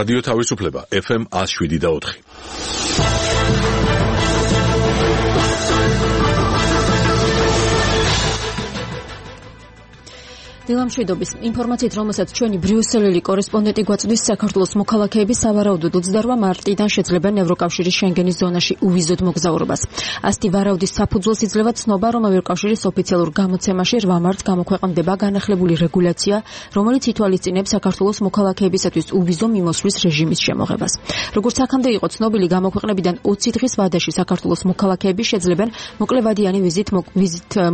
რადიო თავისუფლება FM 107.4. დილამშვიდობის ინფორმაციით, რომელსაც ჩვენი ბრიუსელელი კორესპონდენტი გვაწვდის, საქართველოს მოქალაქეები სავარაუდოდ 28 მარტიდან შეძლებენ ევროკავშირის შენგენის ზონაში უვიზოდ მოგზაურობას. ასეთი ვარაუდის საფუძველს იძლევა ცნობა, რომ ევროკავშირის ოფიციალურ გამოცემაში 8 მარტს გამოქვეყნდება განახლებული რეგულაცია, რომელიც ითვალისწინებს საქართველოს მოქალაქეებისათვის უვიზო მიმოსვლის რეჟიმის შემოღებას. როგორც აქამდე იყო ცნობილი, გამოქვეყნებიდან 20 დღის ვადაში საქართველოს მოქალაქეები შეძლებენ მოკლევადიანი ვიზით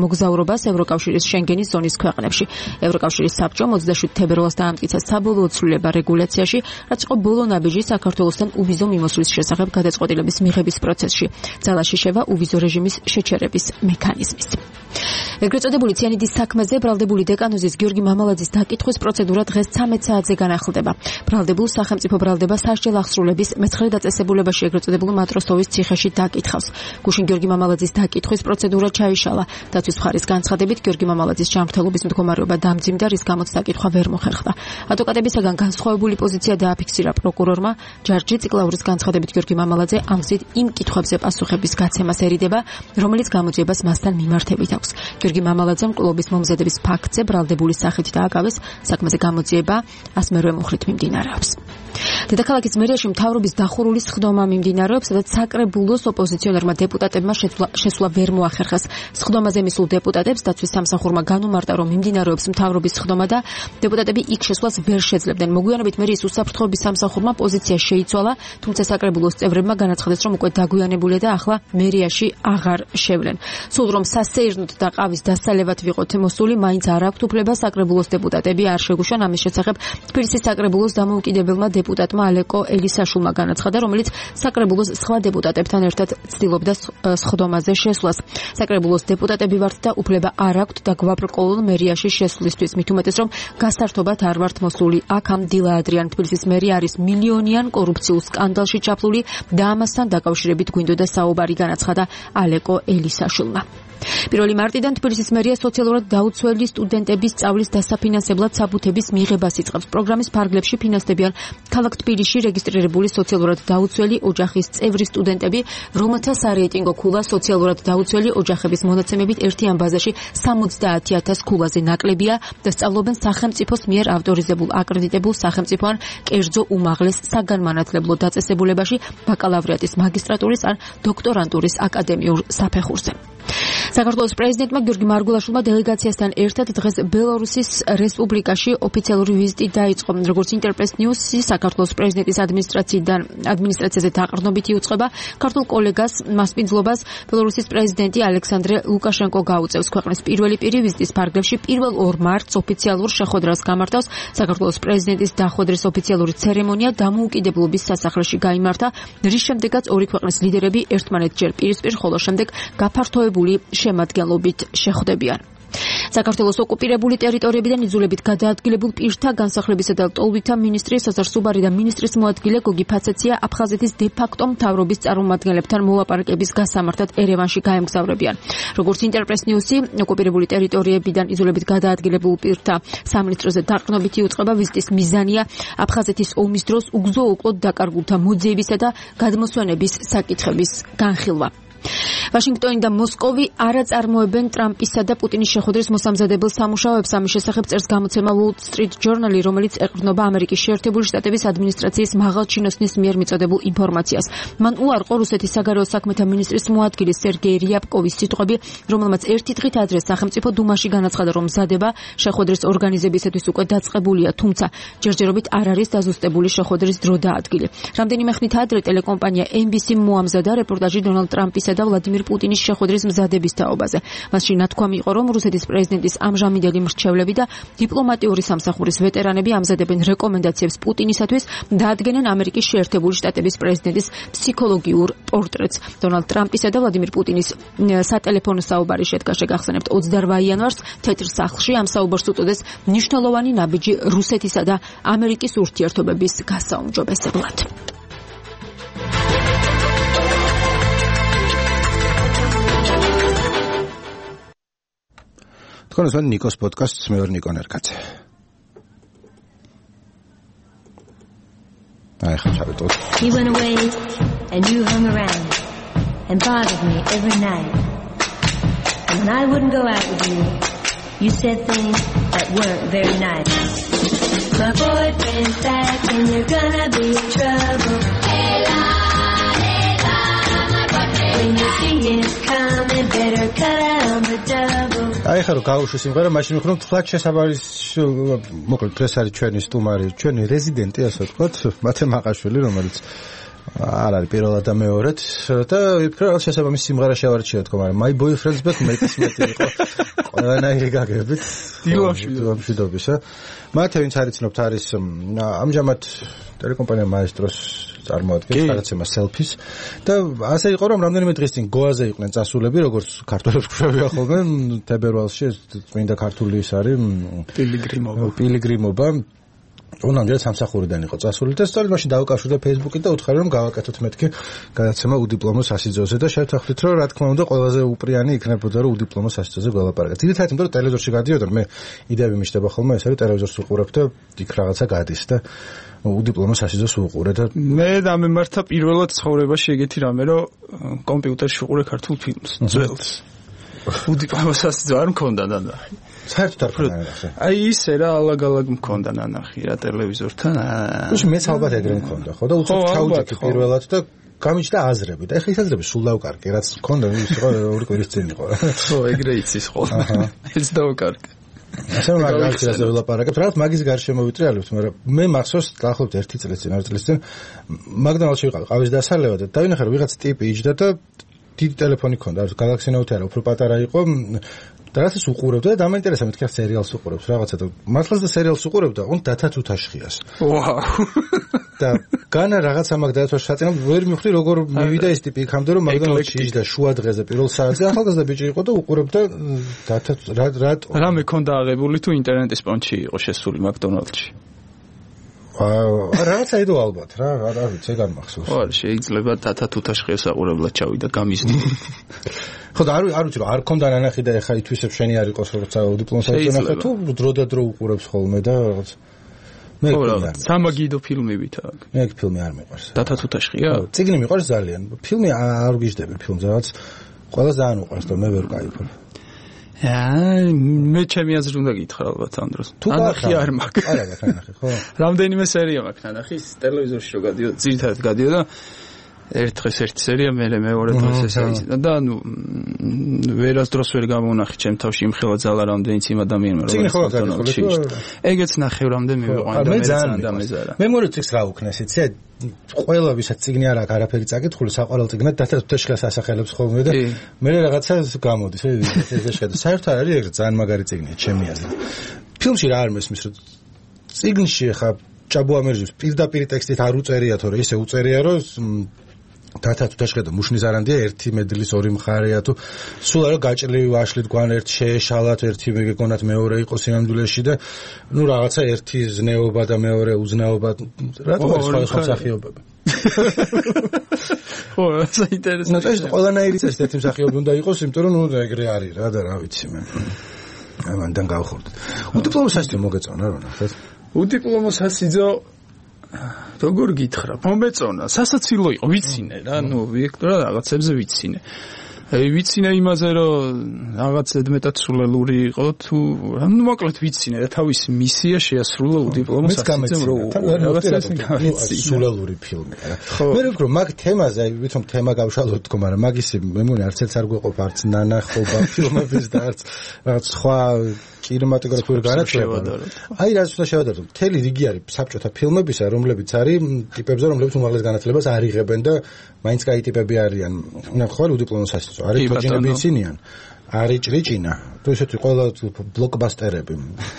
მოგზაურობას ევროკავშირის შენგენის ზონის ქვეყნებში. ევროკავშირის საბჭო 27 თებერვალს დაამტკიცა საბოლოო ცვლილება რეგულაციაში, რაც იყო ბოლო ნაბიჯი საქართველოსთან უვიზო მიმოსვლის შესახებ გადაწყვეტილების მიღების პროცესში. ძალაში შევა უვიზო რეჟიმის შეჩერების მექანიზმის. ეგრეთ წოდებული ციანიდის საქმეზე ბრალდებული დეკანოზის გიორგი მამალაძის დაკითხვის პროცედურა დღეს 13 საათზე განახლდება. ბრალდებულ სახელმწიფო ბრალდება სასჯელ აღსრულების მე-9 დაწესებულებაში ეგრეთ წოდებულ მატროსოვის ციხეში დაკითხავს. გუშინ გიორგი მამალაძის დაკითხვის პროცედურა ჩაიშალა. დაცვის მხარის განცხადებით, გიორგი მამალაძის ჯანმრთელობის მდგომარეობა დამძიმდა, რის გამოც დაკითხვა ვერ მოხერხდა. ადვოკატებისაგან განსხვავებული პოზიცია დააფიქსირა პროკურორმა. ჯარჯი ციკლაურის განცხადებით, გიორგი მამალაძე ამ გზით იმ კითხვებზე პასუხების გაცემას ერიდება, რომელიც გამოძიებას მასთან მიმართებით აქვს. გიორგი მამალაძემ კლუბის მომზადების ფაქტზე ბრალდებული სახით დააკავეს, საქმეზე გამოძიება 108 მუხლით მიმდინარეობს. დედაქალაქის მერიაში მთავრობის დახურული სხდომა მიმდინარეობს, სადაც საკრებულოს ოპოზიციონერმა დეპუტატებმა შესვლა ვერ მოახერხეს. სხდომაზე მისულ დეპუტატებს დაცვის სამსახურმა განუმარტა, რომ მიმდინარეობს მთავრობის სხდომა და დეპუტატები იქ შესვლას ვერ შეძლებდნენ. მოგვიანებით მერიის უსაფრთხოების სამსახურმა პოზიცია შეიცვალა, თუმცა საკრებულოს წევრებმა განაცხადეს, რომ უკვე დაგვიანებულია და ახლა მერიაში აღარ შევლენ. სულ რომ სასეირნოდ და ყავის დასალევად ვიყოთ მოსული, მაინც არ აქვთ უფლება საკრებულოს დეპუტატები არ შეგუშან. ამის შესახებ თბილისის საკრებულოს დამოუკიდებელმა დეპუტატმა ალეკო ელისაშვილმა განაცხადა, რომელიც საკრებულოს სხვა დეპუტატებთან ერთად ცდილობდა სხდომაზე შესვლას. საკრებულოს დეპუტატები ვართ და უფლება არ აქვთ და გვაბრკოლონ მერიაში შესვლისთვის, მით უმეტეს, რომ გასართობად არ ვართ მოსული. აქ ამ დილა ადრიან თბილისის მერი არის მილიონიან კორუფციულ სკანდალში ჩაფლული და ამასთან დაკავშირებით გვინდოდა საუბარი, განაცხადა ალეკო ელისაშვილმა. 1 მარტიდან თბილისის მერია სოციალურად დაუცველი სტუდენტების სწავლის დასაფინანსებლად საბუთების მიღებას იწყებს. პროგრამის ფარგლებში ფინანსდებიან ქალაქ თბილისში რეგისტრირებული სოციალურად დაუცველი ოჯახის წევრი სტუდენტები, რომელთა სარეიტინგო ქულა სოციალურად დაუცველი ოჯახების მონაცემებით ერთიან ბაზაში 70,000 ქულაზე ნაკლებია და სწავლობენ სახელმწიფოს მიერ ავტორიზებულ აკრედიტებულ სახელმწიფო ან კერძო უმაღლეს საგანმანათლებლო დაწესებულებაში ბაკალავრიატის, მაგისტრატურის ან დოქტორანტურის აკადემიურ საფეხურზე. საქართველოს პრეზიდენტმა გიორგი მარგულაშვილმა დელეგაციასთან ერთად დღეს ბელარუსის რესპუბლიკაში ოფიციალური ვიზიტი დაიწყო. როგორც ინტერპრეს ნიუსი საქართველოს პრეზიდენტის ადმინისტრაციაზე დაყრდნობით იუწყება, ქართულ კოლეგას მასპინძლობას ბელარუსის პრეზიდენტი ალექსანდრე ლუკაშენკო გაუწევს. ქვეყნის პირველი პირი ვიზიტის ფარგლებში 2 მარტს ოფიციალურ შეხვედრას გამართავს. საქართველოს პრეზიდენტის დახვედრის ოფიციალური ცერემონია დამოუკიდებლობის სასახლეში გაიმართა, რის შემდეგაც ორი ქვეყნის ლიდერები ერთმანეთჯერ პირისპირ, ხოლო შემდეგ გაფართოებული შემადგენლობით შეხვდებიან. საქართველოს ოკუპირებული ტერიტორიებიდან იძულებით გადაადგილებულ პირთა განსახლებისა და ტოლვითა მინისტრი საზარ სუბარი და მინისტრის მოადგილე გოგი ფაცაცია აფხაზეთის დე-ფაქტო მთავრობის წარმომადგენლებთან მოლაპარაკების გასამართად ერევანში გაემგზავრებიან. როგორც ინტერპრეს ნიუსი, ოკუპირებული ტერიტორიებიდან იძულებით გადაადგილებულ პირთა სამინისტროზე დაყრდნობით იუწყება. ვიზიტის მიზანია აფხაზეთის ომის დროს უგზო-უკლოდ დაკარგულთა მოძიებისა და გადმოსვენების საკითხების განხილვა. ვაშინგტონი და მოსკოვი არ აწარმოებენ ტრამპისა და პუტინის შეხვედრის მოსამზადებელ სამუშაოებს. ამის შესახებ წერს გამოცემა Wall Street Journal, რომელიც ეყრდნობა ამერიკის შეერთებული შტატების ადმინისტრაციის მაღალჩინოსნის მიერ მიწოდებულ ინფორმაციას. მან უარყო რუსეთის საგარეო საქმეთა მინისტრის მოადგილე სერგეი რიაპკოვის სიტყვები, რომელმაც ერთი დღით ადრე სახელმწიფო დუმაში განაცხადა, რომ მზადება შეხვედრის ორგანიზებისათვის უკვე დაწყებულია, თუმცა ჯერჯერობით არ არის დაზუსტებული შეხვედრის დრო და ადგილი. რამდენიმე ხნით ადრე ტელეკომპანია NBC მოამზადა რეპორტაჟი დონალდ ტრამპისა და ვლადიმირ პუტინის შეხვედრის მზადების თაობაზე. მასში ნათქვამი იყო, რომ რუსეთის პრეზიდენტის ამჟამინდელი მრჩევლები და დიპლომატიური სამსახურის ვეტერანები ამზადებენ რეკომენდაციებს პუტინისათვის და ადგენენ ამერიკის შეერთებული შტატების პრეზიდენტის ფსიქოლოგიურ პორტრეტს. დონალდ ტრამპისა და ვლადიმირ პუტინის სატელეფონო საუბარი შედგა, შეგახსენებთ, 28 იანვარს თეთრ სახლში. ამ საუბარს უწოდეს მნიშვნელოვანი ნაბიჯი რუსეთისა და ამერიკის ურთიერთობების გასაუმჯობესებლად. თქვენ ნიკოს პოდკასტს, მე ვარ ნიკო ნერკაძე. აი ხა ჩავიტოვოთ. He went away and you hung around and bothered me every night. And when I wouldn't go out with you, you said things that weren't very nice. My boyfriend's back and you're gonna be in trouble. Hey la, my boyfriend. When you see him coming, better cut out on the double. აი ხა რო გავუშვი სიმღერა, მაშინ ვიხნობ თლაც შესაბამის მოკლედ დღეს არის ჩვენი სტუმარი, ჩვენი რეზიდენტი, ასე ვთქვათ, მათე მაყაშვილი, რომელიც არ არის პირველად და მეორედ და ვფიქრობ შესაბამის სიმღერა შევარჩიოთ თქო, მაგრამ My Boyfriend's Back მეტი იყო ყველანაირი გაგებით დილამშვიდობისა. მათე ვინც არიცნობთ არის ამჟამად ტელეკომპანია Maestro-ს წარმოადგენს რაღაცემა selfies და ასე იყო რომ რამდენიმე დღის წინ გოაზე იყვნენ წასულები როგორც ქართველებს გვხვევია ხოლმე თებერვალში წმინდა ქართული ის არის პილიგრიმობა უნამდე სამსახურიდან იყო წასული და სწორედ მაშინ დავუკავშირდა Facebook-ით და უთხარი რომ გავაკეთოთ მეთქი გადაცემა უდიპლომო სასიძოზე და შევთანხმდით რომ რა თქმა უნდა ყველაზე უპრიანი იქნებოდა რომ უდიპლომო სასიძოზე გველაპარაკეთ. ძირითადად იმიტომ რომ ტელევიზორში გადიოდა მე იდეები მიჩნდება ხოლმე ეს არის ტელევიზორს უყურებ და იქ რაღაცა გადის და უდიპლომო სასიძოს უყურე და მე დამემართა პირველად ცხოვრებაში ეგეთი რამე რომ კომპიუტერში უყურე ქართულ ფილმს ძველს უდიპლომო სასიძო არ მქონდა ნანახი საერთოდ არ მქონდა ნანახი აი ისე რა ალაგ-ალაგ მქონდა ნანახი რა ტელევიზორთან უშ მეც ალბათ ეგრე მქონდა ხო და უცებ ჩაუჭექი პირველად და გამიჩნდა აზრები და ეხლა ის აზრები სულ დავკარგე რაც მქონდა ის იყო ორი კვირის წინ იყო ხო ეგრე იცის ხო ეს დავკარგე ასე რომ მაგას ველაპარაკებთ რაღაც მაგის გარშემო ვიტრიალებთ მაგრამ მე მახსოვს დაახლოებით 1 წლის წინ 2 წლის წინ მაგდონალდში ვიყავ ყავის დასალევად და დავინახე რომ ვიღაც ტიპი იჯდა და დიდი ტელეფონი ჰქონდა Galaxy Note არა უფრო პატარა იყო და რასაც უყურებდა და დამაინტერესა მეთქი სერიალს უყურებს რაღაცა და მართლაც და სერიალს უყურებდა on დათაც უთაშხიას ვაუ და განა რაღაცა მაგ დათოს შაწინა ვერ მივხვდი როგორ მივიდა ეს ტიპი იქამდე რომ მაგდონალდში იჯდა შუა დღეზე პირველ საათზე ახალგაზრდა ბიჭი იყო და უყურებდა დათაც რა მეკონდა აღებული თუ ინტერნეტის პონჩი იყო შესული მაგდონალდში რაღაცა იდო ალბათ რა არ ვიცი ეგ არ მახსოვს ხო შეიძლება დათაც უთაშხიას აყურებლა ჩავიდა გამიზდი ხო და არ ვიცი რომ არ ქონდა ნანახი და ეხა ითვისებ შენი არ იყოს როცა დიპლომს აიღე თუ დრო და დრო უყურებს ხოლმე და რაღაც მე რა სამაგიდო ფილმებით აქ მე ეგ ფილმი არ მიყვარს დათაც უთაშხია წიგნი მიყვარს ძალიან ფილმი არ ვგიჟდები ფილმს რაღაც ყველას ძალიან უყვარს და მე ვერ ვკაიფებ მე ჩემი აზრით უნდა გითხრა ალბათ ამ დროს ნანახი არ მაქვს არა ნანახი ხო რამდენიმე სერია მაქვს ნანახი ტელევიზორში რო გადიოდა ძირითადად გადიოდა ერთ დღეს ერთი სერია მეორე დღეს ეს არის და ანუ ვერასდროს ვერ გამონახი ჩემ თავში იმხელა ძალა რამდენიც იმ ადამიანმა რომ ეგეც ნახე რამდენი მივიყვანე და მე ძალიან დამეზარა მე მორე წიგს რა უქნეს იცი ყველა ვისაც წიგნი არ აქვს არაფერი წაკითხული საყვარელ წიგნად დათაც უთაშხიას ასახელებს ხოლმე და მე რაღაცა გამოდის ეს შეხედა საერთოდ არ არის ეგრე ძალიან მაგარი წიგნია ჩემი აზრით ფილმში რა არ მესმის რომ წიგნში ხა ჭაბუ ამერჯის პირდაპირ ტექსტით არ უწერია თორე ისე უწერია რომ დათაც უთაშხია და მუშნის არანდია ერთი მედლის ორი მხარეა თუ სულ არა გაჭრილი ვაშლით გვან ერთ შეეშალათ ერთი მეგონათ მეორე იყო სინამდვილეში და ნუ რაღაცა ერთი ზნეობა და მეორე უზნეობა რატომ სხვა მსახიობები ხო საინტერესო ეს ყველანაირი წესი ერთი მსახიობი უნდა იყოს იმიტომ რომ ნუ ეგრე არის რა და რა ვიცი მე ამან გავხურდით უდიპლომო სასიძო მოგეწონა რა ნახეთ უდიპლომო სასიძო როგორ გითხრა მომეწონა სასაცილო იყო ვიცინე რა ნუ ვექტორა რაღაცებზე ვიცინე ვიცინე იმაზე რომ რაღაც ზედმეტად სულელური იყო თუ ნუ მოკლედ ვიცინე და თავისი მისია შეასრულა უდიპლომო სასიძემ რომ რაღაცა სულელური ფილმი რა მე ვფიქრობ მაგ თემაზე აი ვითომ თემა გავშალოთ თქო მაგრამ მაგისი მე მგონი არც ერთ არ გვეყოფ არც ნანახობა ფილმების და არც რაღაც სხვა კინემატოგრაფიული განათლება აი რაც უნდა შევადაროთ მთელი რიგი არის საბჭოთა ფილმებისა რომლებიც არის ტიპებზე რომლებიც უმაღლეს განათლებას არ იღებენ და მაინც კაი ტიპები არიან ნახო უდიპლომო სასიძო არის თოჯინები იცინიან არის ჭრიჭინა თუ ესეთი ყველა ბლოკბასტერები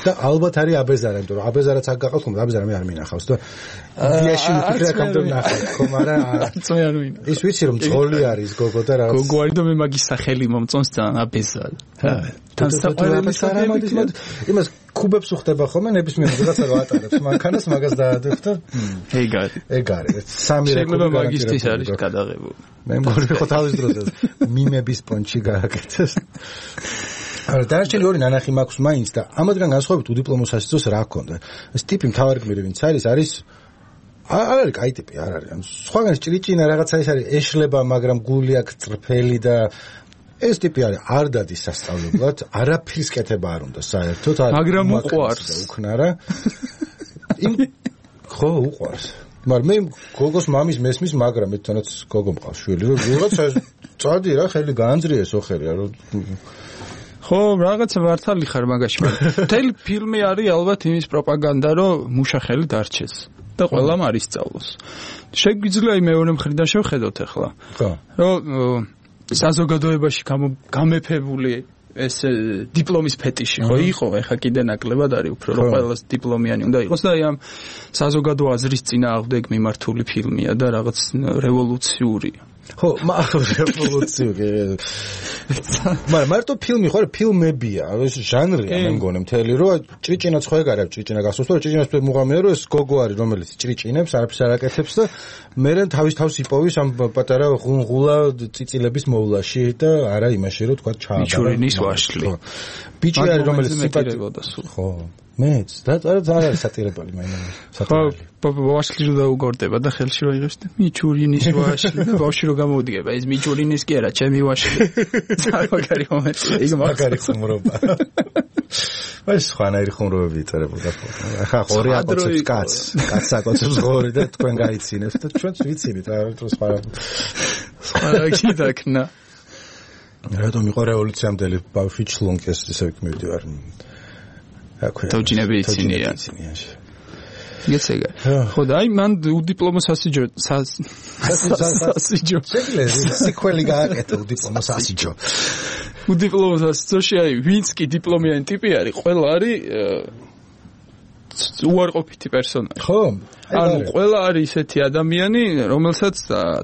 და ალბათ არის აბეზარა იმიტომ რომ აბეზარაც აქ გაყავს ხომ აბეზარა მე არ მინახავს და იდეაში ვფიქრე აქამდე ვნახე ხომ არა ის ვიცი რომ ძღოლი არის გოგო და რაღაც გოგო არის და მე მაგის სახელი მომწონს ძალიან აბეზარა თან საყვარელი სარამადის იმას კუბებს უხდება ხოლმე ნებისმიერ რაღაცა რო ატარებს მანქანას მაგას დაადებს და ეგ არის სამი რეკორდი მაგისტრის არის გადაღებული მე მგონი ხო თავის დროზე მიმების პონჩი გააკეთეს არა დარჩენი ორი ნანახი მაქვს მაინც და ამათგან განსხვავებით უდიპლომო სასიძოს რა ჰქონდა ეს ტიპი მთავარი გმირი ვინც არის არ არის კაი ტიპი, არ არის. სხვაგან ჭრიჭინა რაღაცა ის არის, ეშლება, მაგრამ გული აქვს წრფელი და ეს ტიპი არის, არ დადის სასწავლებლად, არაფრის კეთება არ უნდა საერთოდ, მაგრამ უყვარს უკნარა. ხო, უყვარს. მაგრამ მე გოგოს მამის მესმის, მაგრამ მე თვითონაც გოგო მყავს შვილი, რომ რაღაცა წადი რა, ხელი გაანძრია სოხერი რა. ხო, რაღაცა მართალი ხარ მაგაში. მთელი ფილმი არის ალბათ იმის პროპაგანდა, რომ მუშა ხელი დარჩეს და ყველამ არის სწავლოს. შეგვიძლია მეორე მხრიდან შევხედოთ ახლა. ხო. რომ საზოგადოებაში გამეფებული ეს დიპლომის ფეტიში ხო იყო, ეხა კიდე ნაკლებად არის უფრო რომ ყველას დიპლომიანი უნდა იყოს და აი ამ საზოგადო აზრის წინააღმდეგ მიმართული ფილმია და რაღაც რევოლუციურია. ხო, რევოლუციური. მაგრამ მარტო ფილმი ხო, ფილმებია, ეს ჟანრია მე მგონი მთელი, რომ ჭრიჭინაც ხო ეგ არის, ჭრიჭინა გახსოვს, რომ ჭრიჭინას მუღამია, რომ ეს გოგო არის, რომელიც ჭრიჭინებს, არაფერს არ აკეთებს და მე თავის იპოვის ამ პატარა ღუნღულა წიწილების მოვლაში და არა იმაში, რომ თქვა ჩააბარა. მიჩურინის ვაშლი. ბიჭი არის, რომელიც სიპატიებოდა სულ. ხო. მეც და არ არის სატირებელი მაინც. ხო, ვაშლი რო დაუგორდება და ხელში რო იღებს და მიჩურინის ვაშლი და ბავშვი რო გამოვიდგება, ეს მიჩურინის კი არა, ჩემი ვაშლი. მაგარი მომენტი, იქ მაგარი ხუმრობა. ეს სხვანაირი ხუმრობები იწერებოდა. ახლა ღორი აკოცებს კაცს აკოცებს ღორი და თქვენ გაიცინებს და ჩვენც ვიცინით რა თქო სხვა კიდაკნა. რატომ იყო რევოლუციამდელი ბავშვი ჩლუნკეს ისე მივდივარ. თავჯინები იცინიან. გეცეგა. ხო და აი მან უდიპლომო სასიჯო სასიჯო. სიკველი გააკეთა უდიპლომო სასიჯო. უდიპლომო სასიჯოში აი ვინც კი დიპლომიანი ტიპი არის, ყველა არის უარყოფითი პერსონაჟი. ხო. ანუ ყველა არის ისეთი ადამიანი, რომელსაც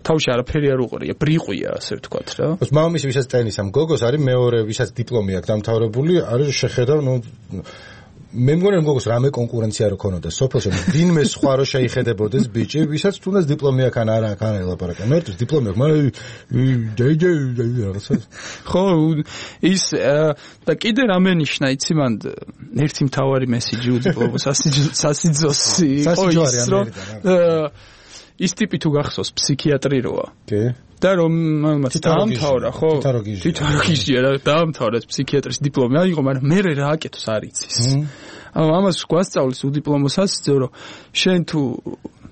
თავში არაფერი არ უყურია, ბრიყვია, ასე ვთქვათ რა. მამამისი ვისაც ტენის ამ გოგოს არის მეორე, ვისაც დიპლომი აქვს დამთავრებული, არის შეხედავ, ნუ მე მგონი რომ გოგოს რამე კონკურენცია რო ქონოდა სოფელში, ვინმე სხვა რო შეიხედებოდეს ბიჭი, ვისაც თუნდაც დიპლომი აქვს ან არა, არ ელაპარაკა. მე ერთის დიპლომი აქვს, მაგრამ რაღაცა. ხო, ის და კიდე რამე ნიშნა, იცი მან ერთი მთავარი მესიჯი უდიპლომო სასიძოსი იყო ის, რომ ის ტიპი თუ გახსოვს ფსიქიატრი როა. კი. და რომ დაამთავრა, ხო? თითაროგიჟია რა, დაამთავრა ფსიქიატრის დიპლომი, აიღო, მაგრამ მე რა აკეთოს არ იცის. ანუ ამას გვასწავლის უდიპლომო სასიძო, რომ შენ თუ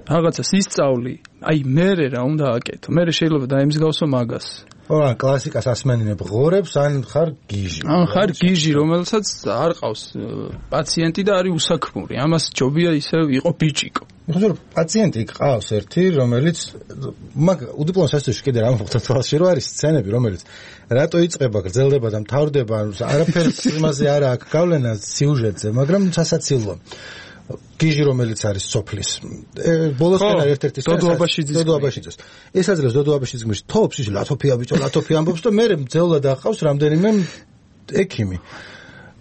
რაღაცას ისწავლი, აი მე რა უნდა აკეთო. მე შეიძლება დაემსგავსო მაგას. ხო, კლასიკას ასმენინებ ღორებს, ან ხარ გიჟი. ან ხარ გიჟი, რომელსაც არ ყავს პაციენტი და არის უსაქმური. ამას ჯობია ისე იყო ბიჭიკო. ხო, პაციენტი ყავს ერთი, რომელიც მაგ უდიპლომო სასიძოში კიდე რა მოხდა თვალში, რომ არის სცენები, რომელიც რატო იწყება, გრძელდება და მთავრდება, არაფერს იმაზე არ აქვს გავლენა სიუჟეტზე, მაგრამ სასაცილო. გიჟი რომელიც არის სოფლის. ბოლოსკენ ერთ-ერთი დოდოაბაშიძის. ეს აძლევს დოდოაბაშიძის თოფს ის ლათოფია ბიჭო, ლათოფია ამბობს და მე მძევლად აყავს რამდენიმე ექიმი.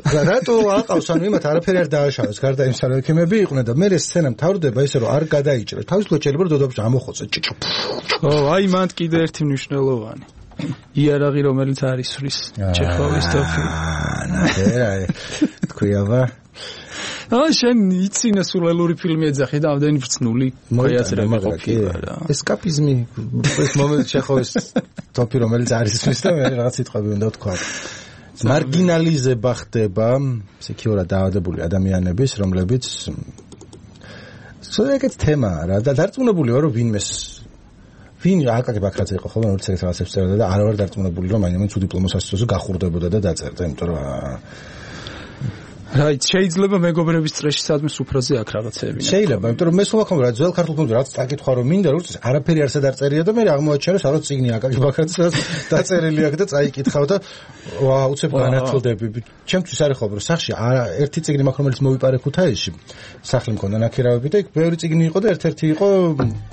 რატო აყავს, ანუ იმათ არაფერი არ დააშავეს, გარდა იმისა რომ ექიმები იყვნენ და მე ეს სცენა მთავრდება ისე რომ არ გადაიჭრეს. თავისუფლად შეიძლება რომ დოდოაბაში ამოხოცე ჭიჭო. ხო, აი მან კიდე ერთი მნიშვნელოვანი. იარაღი რომელიც არის სვრის ჩეხოვის თოფი. ნახე, თქვია შენ იცინე სულელური ფილმი ეძახი და ამდენი ბრწნული მოიაზრება ყოფილა რა. ესკაპიზმი ეს მომენტ ჩეხოვის თოფი რომელიც არის სვრის და მე რაღაც სიტყვები უნდა ვთქვა. მარგინალიზება ხდება ფსიქიურად დაავადებული ადამიანების, რომლებიც სწორედ თემაა რა და დარწმუნებული ვარ რომ ვინ აკაკი ბაქრაძე იყო ხოლმე რომელიც ეგეთ რაღაცებს წერდა და არ ვარ დარწმუნებული რომ მაინც უდიპლომო სასიძოზე გახურდებოდა და დაწერდა, იმიტომ რომ რაიც შეიძლება მეგობრების წრეში სადმე სუფრაზე აქ რაღაცეები. შეიძლება, იმიტომ რომ მე სულ ახლა რა ძველ ქართულ ფილმზე რაც წაკითხვა რომ მინდა რომ არაფერი არ სადარწერია და მე აღმოაჩინე რომ საერთოდ წიგნი აკაკი ბაქრაძეს დაწერილი აქვს და წაიკითხავ და უცებ განათლდები. ჩემთვის არის ხო რომ სახში ერთი წიგნი მაქვს რომელიც მოვიპარე ქუთაისში. სახლი მქონდა ნაქირავები და იქ ბევრი წიგნი იყო და ერთ-ერთი იყო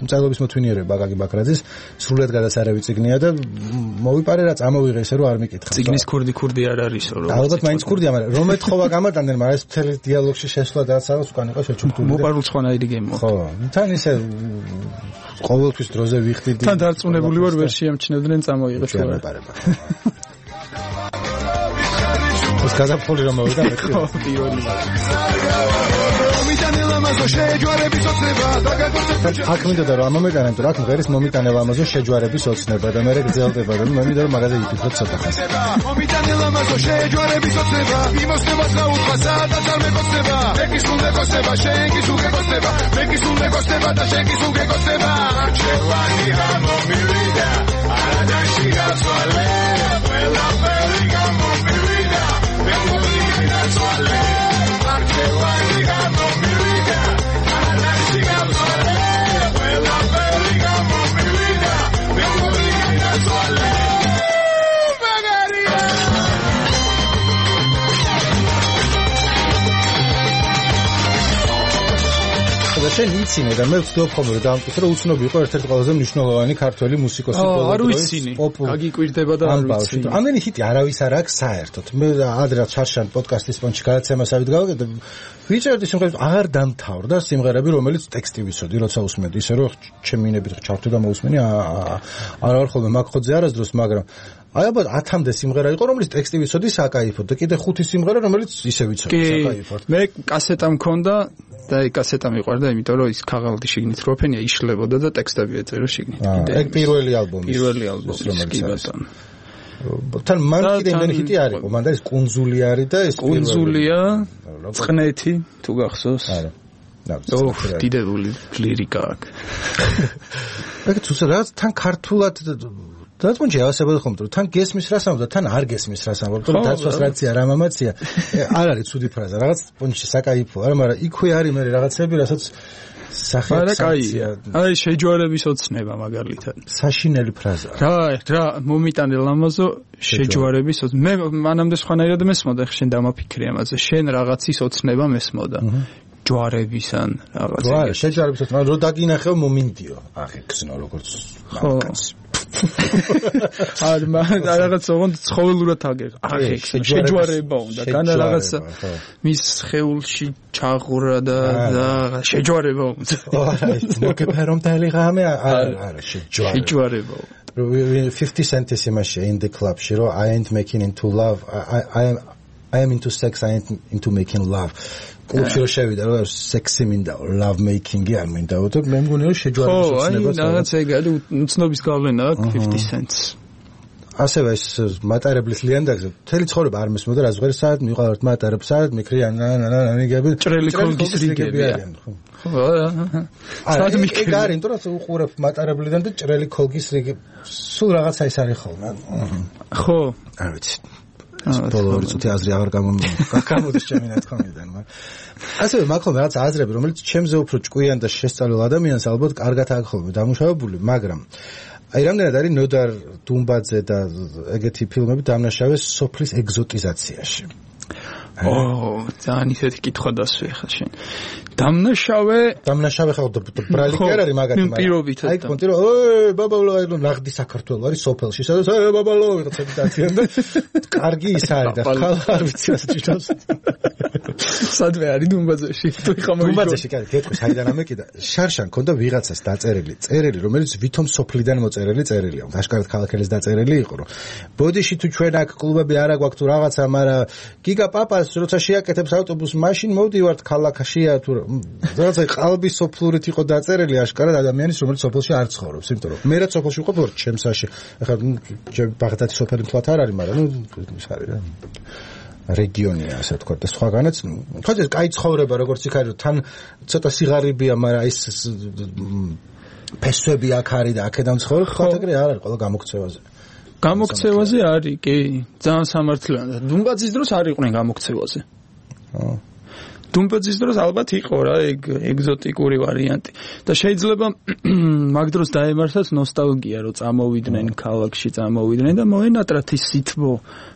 მწერლობის მოთმინიერება აკაკი ბაქრაძის სრულიად გადასარევი წიგნია და მოვიპარე რა წამოვიღე ისე რომ არ მიკითხავ. წიგნის ქურდი არ არისო რომ. ალბათ მაინც ქურდია, მაგრამ რომ ეთხოვა გამატანდნენ, მაგრამ ეს მთელი დიალოგში შესვლა და რაღაც უკან იყო შეჩუქული. მოპარულ სხვანაირი გემო. ხო, თან ისე ყოველთვის დროზე ვიხდიდი. თან დარწმუნებული ვარ ვერ შეამჩნევდნენ წამოიღე შუა. ეს გაზაფხული რომ მოვიდა მე. ხო, პირველი. მომიტანე ლამაზო შეჯვარების ოცნება აქ მინდოდა რომ ამომეტანა თუ რა ღერის მომიტანე ლამაზო შეჯვარების ოცნება და მე გძელდება რომ მე მინდა რომ მაგაზე იფიქროთ ცოტა ხანს მომიტანე ლამაზო შეჯვარების ოცნება იმოსდება გაუთხა სადაც არ მეკოცდება მეკის უნდა კოცება შენ კი სულ გეკოცდება მეკის უნდა კოცდება და შენ კი სულ გეკოცდება არჩევანი გამომივიდა არადაში გაწვალე ყველაფერი გამომივიდა მეგონი გაწვალე არჩევანი გამომივიდა არადაში გაწვალე ყველაფერი გამომივიდა მეგონი გაწვალე და შენ იცინე და მე ვცდილობ ხოლმე რომ დამტკიცო რომ უცნობი იყო ერთ-ერთი ყველაზე მნიშვნელოვანი ქართველი მუსიკოსი არ ვიცინი გაგიკვირდება და არ ვიცინი ამდენი ჰიტი არავის არ აქვს საერთოდ მე ადრე ჩარშან პოდკასტის პონჩი გადაცემასავით გავაკეთე ვიწერდი სიმღერებს აღარ დამთავრდა სიმღერები რომელიც ტექსტი ვიცოდი როცა უსმენდი ისე რომ ჩემინებით ჩავთვლი და მოусმენი არ ვარ ხოლმე მაგხოძე არასდროს მაგრამ აი ალბათ 10-მდე სიმღერა იყო რომელიც ტექსტი ვიცოდი საკაიფოდ და კიდე 5 სიმღერა რომელიც ისე ვიცოდი საკაიფოდ მე კასეტა მქონდა და ეს კასეტა მიყვარდა იმიტომ რომ ის ქაღალდი შიგნით როფენია იშლებოდა და ტექსტები ეწერა შიგნით ეგ პირველი ალბომი რომელიც თან მან კიდე იმენი ჰიტი არ იყო მან და ეს კუნძული არის და ეს კუნძულია წყნეთი თუ გახსოვს არა დიდებული ლირიკა აქვს ეგ თუ რაღაც თან ქართულად დაწუნჯე ავასებოდა ხომ რომ თან გესმის რას ამბობ და თან არ გესმის რას ამბობ რომ დაცვას რაცია რა მამაცია არ არის ცუდი ფრაზა რაღაც პონჩი საკაიფო არა მაგრამ იქვე არის მე რაღაცები რასაც სახეა აი შეჯვარების ოცნება მაგალითად საშინელი ფრაზა რა მომიტანე ლამაზო შეჯვარების მე მანამდე სხვანაირად მესმოდა ხე შენ დამაფიქრე ამაზე შენ რაღაცის ოცნება მესმოდა ჯვარებისან რაღაცა შეჯვარების ოცნება რო დაგინახევ მომინდიო ახე გზნო როგორც მაგას რაღაც ოღონდ ცხოველურად აგერ ახე შეჯვარება უნდა განა რაღაცა მის ხეულში ჩაღურა და შეჯვარება უნდა მოგეფერომდალი ღამე არა შეჯვარება 50 cents იმაში in the club შირო I ain't making into love I am into sex I ain't into making love კლუბში რო შევიდა რა სექსი მინდა love making-ი არ მინდა და მე მგონი რომ შეჯვარების ოცნება აი რაღაც ეგ არის უცნობის გავლენა აქვს 50 cents ასევე ეს მატარებლის ლიანდაგზე მთელი ცხოვრება არ მესმოდა რა ზღერი საათ მიყავართ მატარებს საათ მიქრიან ნიგები ჭრელი კოლგის რიგები არიან ხო საათ მიქრიან ეგ არის იმიტომ რომ უყურებ მატარებლიდან და ჭრელი კოლგის რიგი სულ რაღაცა ის არის ხოლმე ხო არ ვიცი ბოლო წუთი აზრი აღარ გამოდის ჩემი ნათქვამიდან ასევე მაგ ხოლმე რაღაც აზრები რომელიც ჩემზე უფრო ჭკვიან და შესწავლილ ადამიანს ალბათ კარგად აქვს ხოლმე დამუშავებული მაგრამ აი რამდენად არის ნოდარ დუმბაძე და ეგეთი ფილმები დამნაშავე სოფლის ეგზოტიზაციაში ძალიან ისეთი კითხვა დასვე ხა შენ დამნაშავე ხო ბრალი კი არ არის მაგათი პირობით აი კონტი რომ ბაბალო აი ნახდი საქართველოს არის სოფელში სადაც ბაბალო ვიღაცები დაციან და კარგი ის არის და ხალ არ ვიცი ასე ჭირავს სადვე არის დუმბაძეში თუ ხომ დუმბაძეში კი გეტყვი საიდან ამეკიდა შარშან ქონდა ვიღაცას დაწერილი წერილი რომელიც ვითომ სოფლიდან მოწერილი წერილია აშკარად ქალაქელის დაწერილი იყო რომ ბოდიში თუ ჩვენ აქ კლუბები არა გვაქვს თუ რაღაცა მაგრამ გიგა პაპას როცა შეაკეთებს ავტობუსს მაშინ მოვდივართ ქალაქშია თუ რაღაცა ყალბის სოფლურით იყო დაწერილი აშკარად ადამიანის რომელიც სოფელში არ ცხოვრობს იმიტომ რომ მე რაც სოფელში ვიყო ჩემსაში ახლა ბაღდადის სოფელი მთლად არ არის მაგრამ ის არის რა რეგიონია ასე ვთქვათ და სხვაგანაც თქოს ეს კაი ცხოვრება როგორც იქ არის თან ცოტა სიღარიბეა მაგრამ ის ფესვები აქ არის და აქედან ცხოვრობ ხო ეგრე არ არის ყველა გამოქცევაზე არის კი ძალიან სამართლიანია დუმბაძის დროს არ იყვნენ გამოქცევაზე დუმბაძის დროს ალბათ იყო რა ეგ ეგზოტიკური ვარიანტი და შეიძლება მაგ დროს დაემართათ ნოსტალგია რომ წამოვიდნენ ქალაქში წამოვიდნენ და მოენატრათ ის სითბო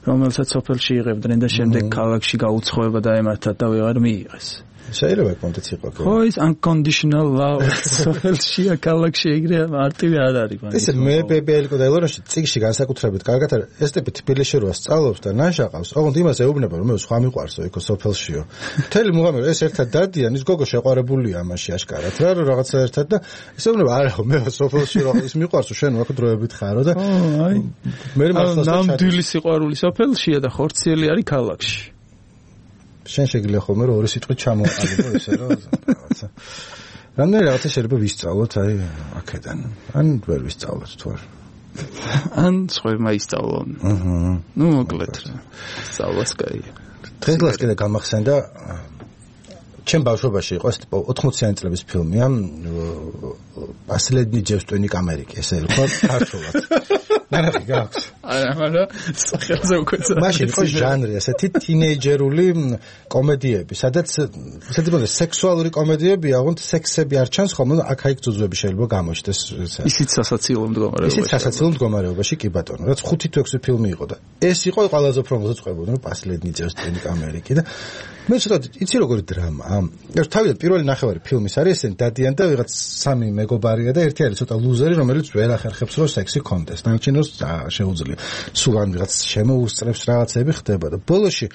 რომელსაც სოფელში იღებდნენ და შემდეგ ქალაქში გაუცხოება დაემართათ და ვეღარ მიიღეს შეიძლება კონტექს იყო ხო ის unconditional love სოფელში ქალაქში ეგრე მარტივი არ არის მაგრამ ესე მე ბებელიკო და ელორაში წიგში განსაკუთრებით კარგად არის ეს ტიპი თბილისში როა სწავლობს და ნაშაყავს ოღონდ იმას ეუბნება რომ მე სხვა მიყვარსო იქო სოფელშიო მთელი მუღამი ეს ერთად დადიან ის გოგო შეყვარებულია ამაში აშკარად რა რომ რაღაცა ერთად და ეს ეუბნება არა მე სოფელში რა ის მიყვარსო შენ აქ დროებით ხარო და აი მე მართლა ნამდვილი სიყვარული სოფელშია და ხორციელი არის ქალაქში შენ შეგიძლია ხოლმე რომ ორი სიტყვით ჩამოაყალიბო ესე რომ რაღაცა. რამდენი რაღაცა შეიძლება ვისწავლოთ აი აქედან. ან ვერ ვისწავლოთ თუ არა. ან სხვამა ისწავლონ. ნუ მოკლედ რა. სწავლას კაია. დღეს კიდე გამახსენდა ჩემ ბავშვობაში იყო 80-იანი წლების ფილმია последний девственник Америки ესე იყო ქართულად. ნახე გაქვს. არა, მაგრამ სახელზე უკვე მაშინ იყო ჟანრი ესეთი თინეიჯერული კომედიები, სადაც სექსუალური კომედიებია, აღონდ სექსები არ ჩანს ხოლმე, აქ-აიქ ძუძუები შეიძლება გამოჩნდეს. ისიც სასაცილო მდგომარეობაში. ისიც სასაცილო მდგომარეობაში კი ბატონო, რაც 5-6 ფილმი იყო და ეს იყო ყველაზე უფრო მოძწყებოდი, რომ последний девственник Америки და მე ცოტა იცი როგორი დრამაა. თავიდან პირველი ნახევარი ფილმის არის ესენ დადიან და ვიღაც სამი მეგობარია და ერთი არის ცოტა ლუზერი, რომელიც ვერ ახერხებს რომ სექსი კონდეს. ნაჩინოს შეუძლია. სულ ან ვიღაც შემოუსწრებს რაღაცები ხდება და ბოლოში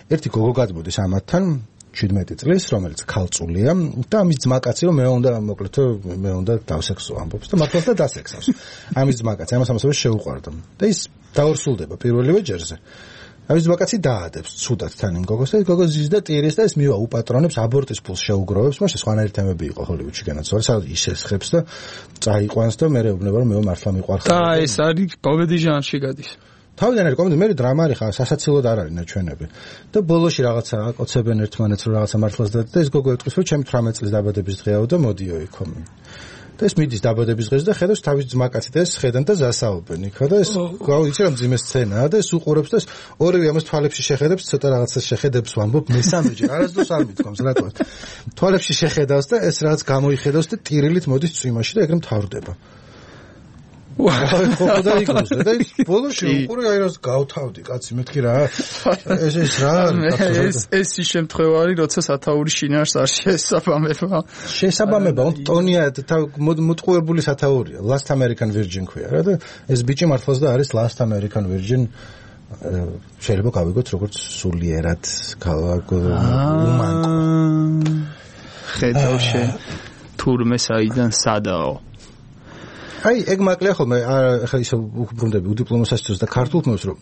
ერთი გოგო გადმოდის ამათთან 17 წლის, რომელიც ქალწულია და ამის ძმაკაცი რომ მე უნდა დავსექსო ამბობს და მართლაც და დასექსავს. ამის ძმაკაცი ამას შეუყვარდა და ის დაორსულდება პირველივე ჯერზე. ამის ძმაკაცი დაადებს ცუდად თან იმ გოგოს და გოგო ზის და ტირის და ეს მივა უპატრონებს აბორტის ფულს შეუგროვებს, მაშინ სხვანაირი თემები იყო ჰოლივუდში განაცვალე, სადაც ის ესხებს და წაიყვანს და მე ეუბნება რომ მე მართლა მიყვარხარ. და ეს არის კომედი ჟანრში გადის. თავიდან არის კომედი, მე დრამა არის ხა, სასაცილოდ არ არის ნაჩვენები. და ბოლოში რაღაცა აკოცებენ ერთმანეთს რომ რაღაცა მართლაც და ეს გოგო ეტყვის რომ ჩემი 18 წლის დაბადების დღეაო და მოდიო იქო. და ეს მიდის დაბადების დღეს და ხედავს თავის ძმაკაცი და ეს ხედან და ზასაობენ იქა და ეს გავიცი რომ ძიმე სცენაა და ეს უყურებს და ეს ორივე ამას თვალებში შეხედებს ცოტა რაღაცა შეხედებს ვამბობ მესამეჯერ არასდროს არ მithkoms რატო თვალებში შეხედავს და ეს რაღაც გამოიხედავს და ტირილით მოდის წვიმაში და ეგრე მთავრდება ხო და იქოს და ის ბოლოში უყურე აი რას გავთავდი კაცი მეთქი რა ეს რა ეს შემთხვევა არის როცა სათაური შინაარს არ შესაბამება ტონია მოტყუებული სათაურია Last American Virgin ქვია რა და ეს ბიჭი მართლაც და არის Last American Virgin შეიძლება გავიგოთ როგორც სულიერად უმანკო ხედავშე თურმე საიდან სადაო აი ეგ მაკლია ხოლმე ახლა ისე უბრუნდები უდიპლომოსასწორს და ქართულ ფილმებს რომ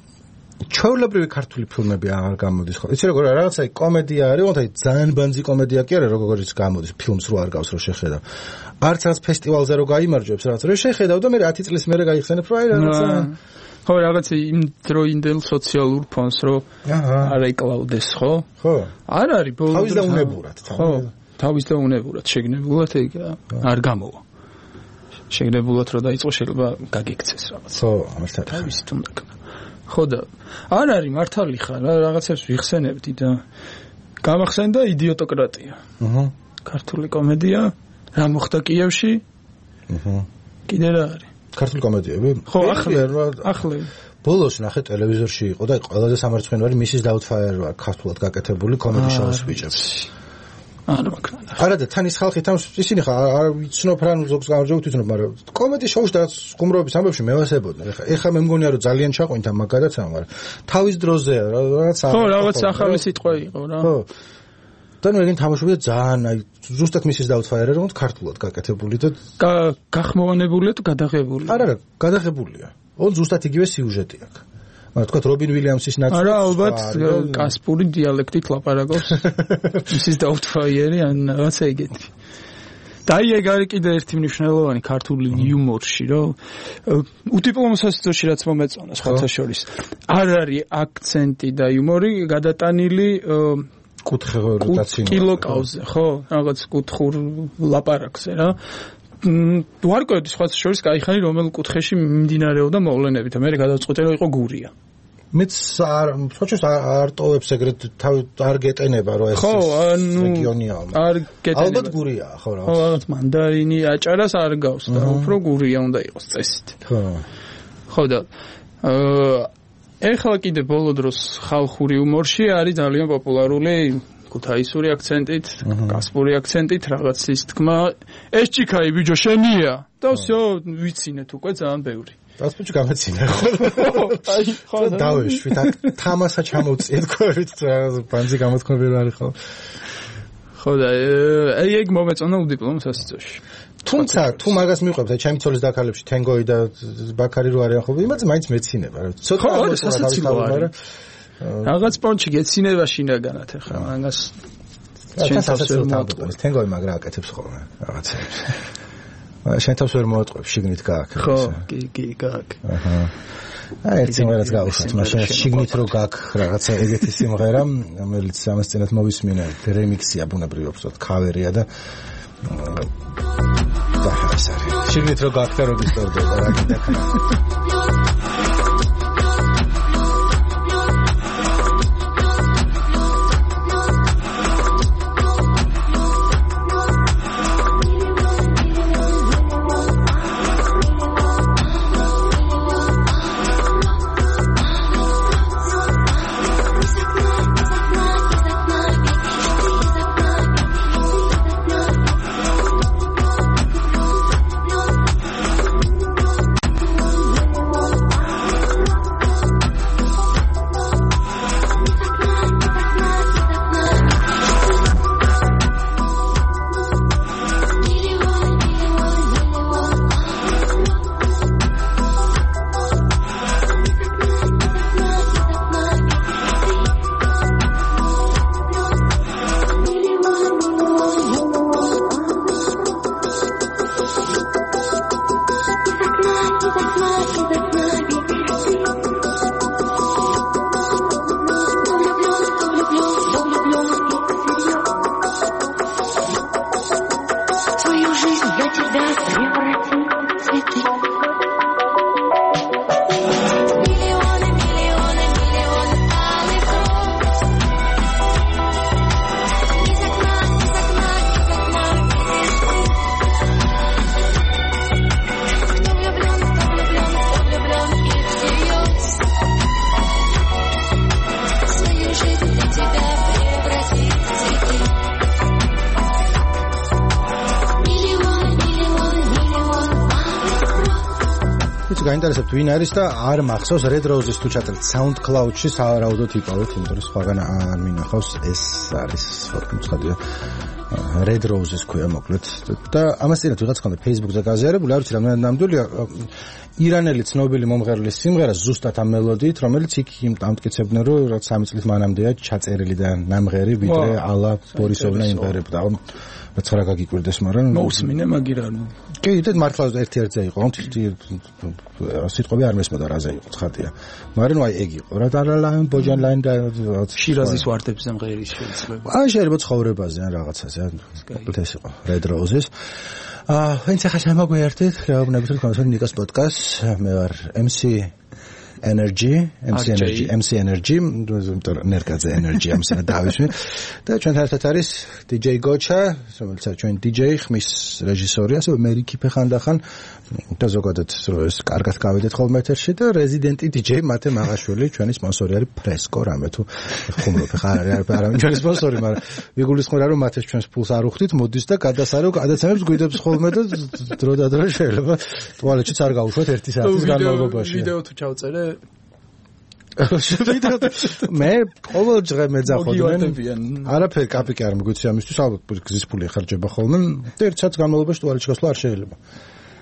ჩვეულებრივი ქართული ფილმები არ გამოდის ხო იცი როგორ რაღაცა კომედია არის თუმცა ძალიან ბანძი კომედია კი არა როგორც გამოდის ფილმს რო არ გავს რო შეხედა არც რაც ფესტივალზე რო გაიმარჯვებს რაღაც რო შეხედავ და მე 10 წლის მერე გაიხსენებ რომ აი რაღაცა ხო რაღაცა იმ დროინდელ სოციალურ ფონს რო არ ეკლავდეს ხო ხო არ არის ბოლოს თავის და უნებურად ხო თავის და უნებურად შეგნებულად ეგ არ გამოვა შეგნებულად რომ დაიწყო შეიძლება გაგიქცეს რაღაც ხო მართლა თავისი თუნდაც ხო და არ არის მართალი ხარ რაღაცებს ვიხსენებდი და გამახსენდა იდიოტოკრატია ქართული კომედია რა მოხდა კიევში კიდე რა არის ქართული კომედიები ხო ახლა ბოლოს ნახე ტელევიზორში იყო და ყველაზე სამარცხვინო არის მისის დაუთფაიერ ქართულად გაკეთებული კომედი შოუს ბიჭებს არა და თან ის ხალხი თან ისინი ხა არ ვიცნობ რა ზოგს გამარჯვებთ ვიცნობ მაგრამ კომედი შოუში და ხუმრობის ამბებში მევასებოდნენ ეხლა მე მგონია რომ ძალიან ჩაყვინთა მაგადაც მაგრამ თავის დროზე რაღაც ხო რაღაც ახალი სიტყვა იყო რა ხო და ნუ ეგენ თამაშობდა ძალიან აი ზუსტად მისის დაუთფაიერ რომ ქართულად გაკეთებული და გახმოვანებულია თუ გადაღებული არა გადაღებულია ონ ზუსტად იგივე სიუჟეტი აქვს თქვა რობინ ვილიამსის ნაწილი არა ალბათ კასპური დიალექტით ლაპარაკობს მისის დაუთფაიერი ან რაღაცა ეგეთი და აი ეგ არის კიდე ერთი მნიშვნელოვანი ქართული იუმორში რომ უდიპლომოსასწორში რაც მომეწონა სხვათა შორის არ არის აქცენტი და იუმორი გადატანილი კილოკავზე ხო რაღაც კუთხურ ლაპარაკზე რა ვარკვევდი სხვათა შორის кайხანი რომელ კუთხეში მიმდინარეობდა მოვლენები და მე გადავწყვიტე რომ იყო გურია მეც სხვაჩოს არ ტოვებს ეგრეთ არ გეტენება რომ ეს რეგიონია არ გეტენება ალბათ გურიაა ხო რა ხო რაღაც მანდარინი აჭარას არ გავს და უფრო გურია უნდა იყოს წესით ხო ხო და ეხლა კიდე ბოლო დროს ხალხური იუმორში არის ძალიან პოპულარული ქუთაისური აქცენტით, კასპური აქცენტით რაღაცის თქმა, ეს ჭიქაი ბიჭო შენია და всё ვიცინეთ უკვე ძალიან ბევრი. რაც ბიჭო გამეცინა ხო? აი ხო დავეშვით თამასა ჩამოვწიეთ ქვევით ბანძი გამოთქმები რა არის ხო? ხო და აი ეგ მომეწონა უდიპლომოსასწორში. თუმცა თუ მაგას მიყვებთ აი ჩემი ცოლის დაქალებში თენგოი და ბაქარი რო არიან ხო? იმაზე მაინც მეცინება რა. ცოტა ხო, სასაცილო არის. რაღაც პონჩი გეცინება შინაგანად ახლა მაგას შენ თავს ვერ მოატყუებს თენგოვი მაგრა აკეთებს ხოლმე რაღაცებს შენ თავს ვერ მოატყუებს შიგნით გააკ ხო კი გააკ ერთ სიმღერას გავუშვათ მაშინ შიგნით რო გააკ რაღაცა ეგეთი სიმღერა რომელიც ამას წინათ მოვისმინე რემიქსია ბუნებრივად ვთქვათ ქავერია და შიგნით რო გააკ და რო დისტორდება რა კიდე გაინტერესებთ ვინ არის და არ მახსოვს Red Roses თუ ჩაწერთ SoundCloud-ში სავარაუდოდ იკავეთ, იმიტომ რომ სხვაგან არ მინახავს ეს არის ხოთმოცხადია Red Roses ქვია მოკლედ და ამას წინათ ვიღაც ხონდა Facebook-ზე გაზიარებული, არ ვიცი რამდენად ნამდვილია ირანელი ცნობილი მომღერლის სიმღერა ზუსტად ამ მელოდიით, რომელიც იქ ამტკიცებდნენ რომ რაც 3 წლის მანამდეა ჩაწერილი და ნამღერი ვიდრე ალა ბორისოვნა იმღერებდა. რაც რა გაგიკვირდეს, მაგრამ მოусმინე მაგირა. კი, და მართლა ერთ-ერთზე იყო, სიტყვები არ მესმოდა რაზე იყო, ცხადია. მაგრამ აი ეგ იყო. რა დარალაინ ბოჯანლაინ და შირაზის ვარდებზე მღერი შეიძლება. აი შეიძლება ცხოვრებაზე ან რაღაცაზე, ეს იყო Red Roses. ვინც ახლა შემოგვიერთეთ, გავნებით რომ კონსოლი ნიკას პოდკასტს, მე ვარ MC Energy, ნერგაძე Energy ამსა დავისვი და ჩვენთან ერთად არის DJ Gocha, რომელიც ჩვენ DJ ხმის რეჟისორი, ასე მერიკი ფეხანდახან და ზოგადად ეს კარგად გავედეთ ხოლმე ეთერში და რეზიდენტი DJ მათე მაღაშვილი, ჩვენი სპონსორი არის Fresco, რამე თუ ხუმრობ ხარ არის ჩვენი სპონსორი, მაგრამ ვიგულისხმობ რომ მათეს ჩვენს ფულს არ უხდით, მოდის და გადასარო გადაცემებს გვიდებს ხოლმე და დრო და დრო შეიძლება ტუალეტშიც არ გავუშვათ 1 საათის განმავლობაში. ვიდეო თუ ჩავწერე მე ყოველ დღე მეძახოდნენ არაფერი კაპიკი არ მიგვიცი ამისთვის ალბათ გზის ფული ეხარჯება ხოლმე და 1 საათის განმავლობაში ტუალეტში გასვლა არ შეიძლება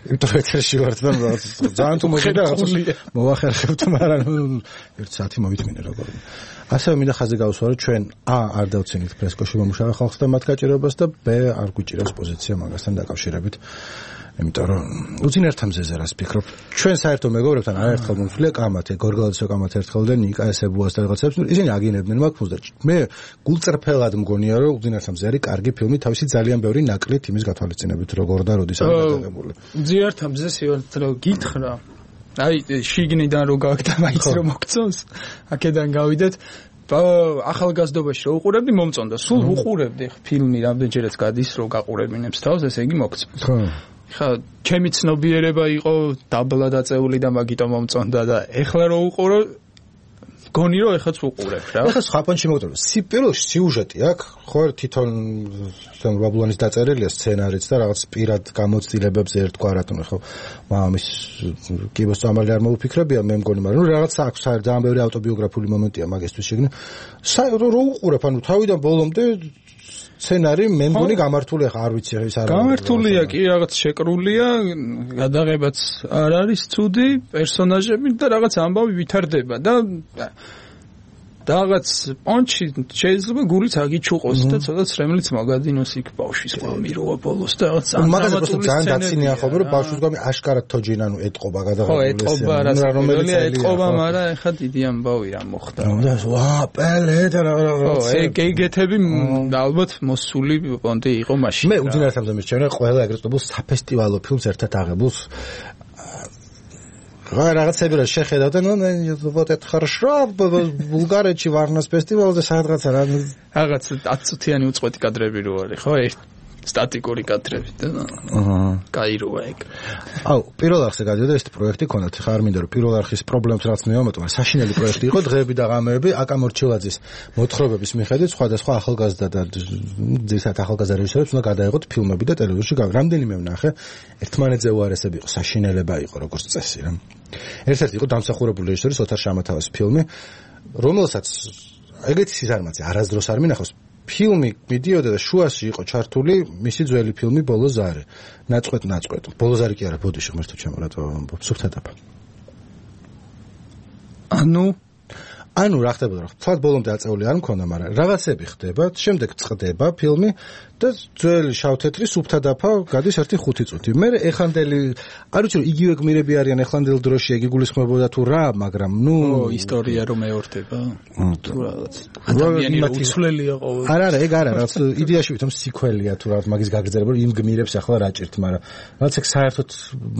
იმიტომ რომ ეთერში ვარ და ძალიან თუ მოგვიდა მოვახერხებთ მაგრამ 1 საათი მოვითმინე როგორ ასევე მინდა ხაზი გავუსვა რომ ჩვენ არ დავცინით ფრესკოში მომუშავე ხალხს და მათ გაჭირებას და არ გვიჭირავს პოზიცია მაგასთან დაკავშირებით იმიტომ რომ უძინართ ამზეზე რას ფიქრობ ჩვენ საერთო მეგობრებთან არაერთხელ მომთვლია კამათე გორგალაძე კამათე ერთხელ და ნიკა ესებუას და რაღაცებს ისინი აგინებდნენ მაგ და მე გულწრფელად მგონია რომ უძინართ ამზე არის კარგი ფილმი თავისი ძალიან ბევრი ნაკლით იმის გათვალისწინებით როგორ და როდის არის გადაღებული უძინართ ამზე სიوارდრო გითხრა აი შიგნიდან რო გააკეთა მაინც რომ მოგწონს აქედან გავიდეთ ახალგაზრდობაში რო უყურებდი მომწონდა სულ უყურებდი ფილმი რამდენჯერაც გადის რო გაყურებინებს თავს ესე იგი მოგწონს ხო ხა ჩემი ცნობიერება იყო დაბლა დაწეული და მაგიტომ მომწონდა და ეხლა რო უყურო გონი რომ ეხაც უყურებ რა ეხლა სხვა პონჩი მოგწონს პირველში სიუჟეტი აქვს ხო თვითონ ბაბლონის დაწერილია სცენარიც და რაღაც პირად გამოცდილებებზე ერთგვარად ხო მამის კიბოს წამალი არ მოუფიქრებია მე მგონი მაგრამ რაღაც აქვს ძალიან ბევრი ავტობიოგრაფიული მომენტია მაგისთვის შეგნი რო უყურებ ანუ თავიდან ბოლომდე სცენარი მე მგონი გამართულია ხა არ ვიცი ეს არ გამართულია კი რაღაც შეკრულია გადაღებაც არ არის ცუდი პერსონაჟები და რაღაც ამბავი ვითარდება და რაღაც პონჩი შეიძლება გულიც აგიჩუყოს და ცოტა ცრემლიც მაგადინოს იქ ბავშვის გვამიროა ბოლოს და რაღაც ამატებოს ძალიან დაცინია ხოლმე რომ ბავშვის გვამი აშკარად თოჯინ ანუ ეტყობა გადაღებული ეტყობა რომელიც ეტყობა მაგრამ ეხა დიდი ამბავი რა მოხდა ვა პელე და ეგეთები ალბათ მოსული პონტი იყო მაშინ მე უძინარად ამბობ ჩემ ყველა ეგრეთ წოდებულ საფესტივალო ფილმს ერთად აღებულს რაღაცები რა შეხედავ და вот это хорошо ბულგარეთში ვარნას ფესტივალზე სადღაცა რაღაც 10 წუთიანი უწყვეტი კადრები რო არის ხო სტატიკური კადრები და კაიროა ეგ აუ პირველ არხზე გადიოდა ეს პროექტი ქონდათ ხა არ მინდა რომ პირველ არხის პრობლემებს რაც მივამატო მაგრამ საშინელი პროექტი იყო დღეები და ღამეები აკამორჩილაძის მოთხრობების მიხედვით სხვადასხვა ახალგაზრდა და ძირითადად ახალგაზრდა რეჟისორებს უნდა გადაეღოთ ფილმები და ტელევიზორში რამდენიმე ვნახე ერთმანეთზე უარესები იყო საშინელება იყო როგორც წესი რა ერთ-ერთი იყო დამსახურებული რეჟისორის ოთარ შამათავას ფილმი რომელსაც ეგეთი სიზარმაცე არასდროს არ მინახავს ფილმი მიდიოდა და შუაში იყო ჩართული მისი ძველი ფილმი ბოლოზარი ნაწყვეტ ბოლოზარი კი არა ბოდიში ღმერთო ჩემო რატო ამბობ სუფთა დაფა ანუ რა ხდებოდა რა თქვა ბოლომდე აწეული არ მქონდა მაგრამ რაღაცები ხდება შემდეგ წდება ფილმი და ძველი შავ-თეთრი სუფთა დაფა გადის 1-5 წუთი მე ეხანდელი არ ვიცი რომ იგივე გმირები არიან ეხანდელ დროში ეგ იგულისხმებოდა თუ რა მაგრამ ისტორია რომ მეორდება თუ რაღაც ადამიანი რა უცვლელია ყოველ არა ეგ არა რაც იდეაში ვითომ სიკველია თუ რაღაც მაგის გაგრძელება რომ იმ გმირებს ახლა რა ჭირთ მაგრამ რაც ეგ საერთოდ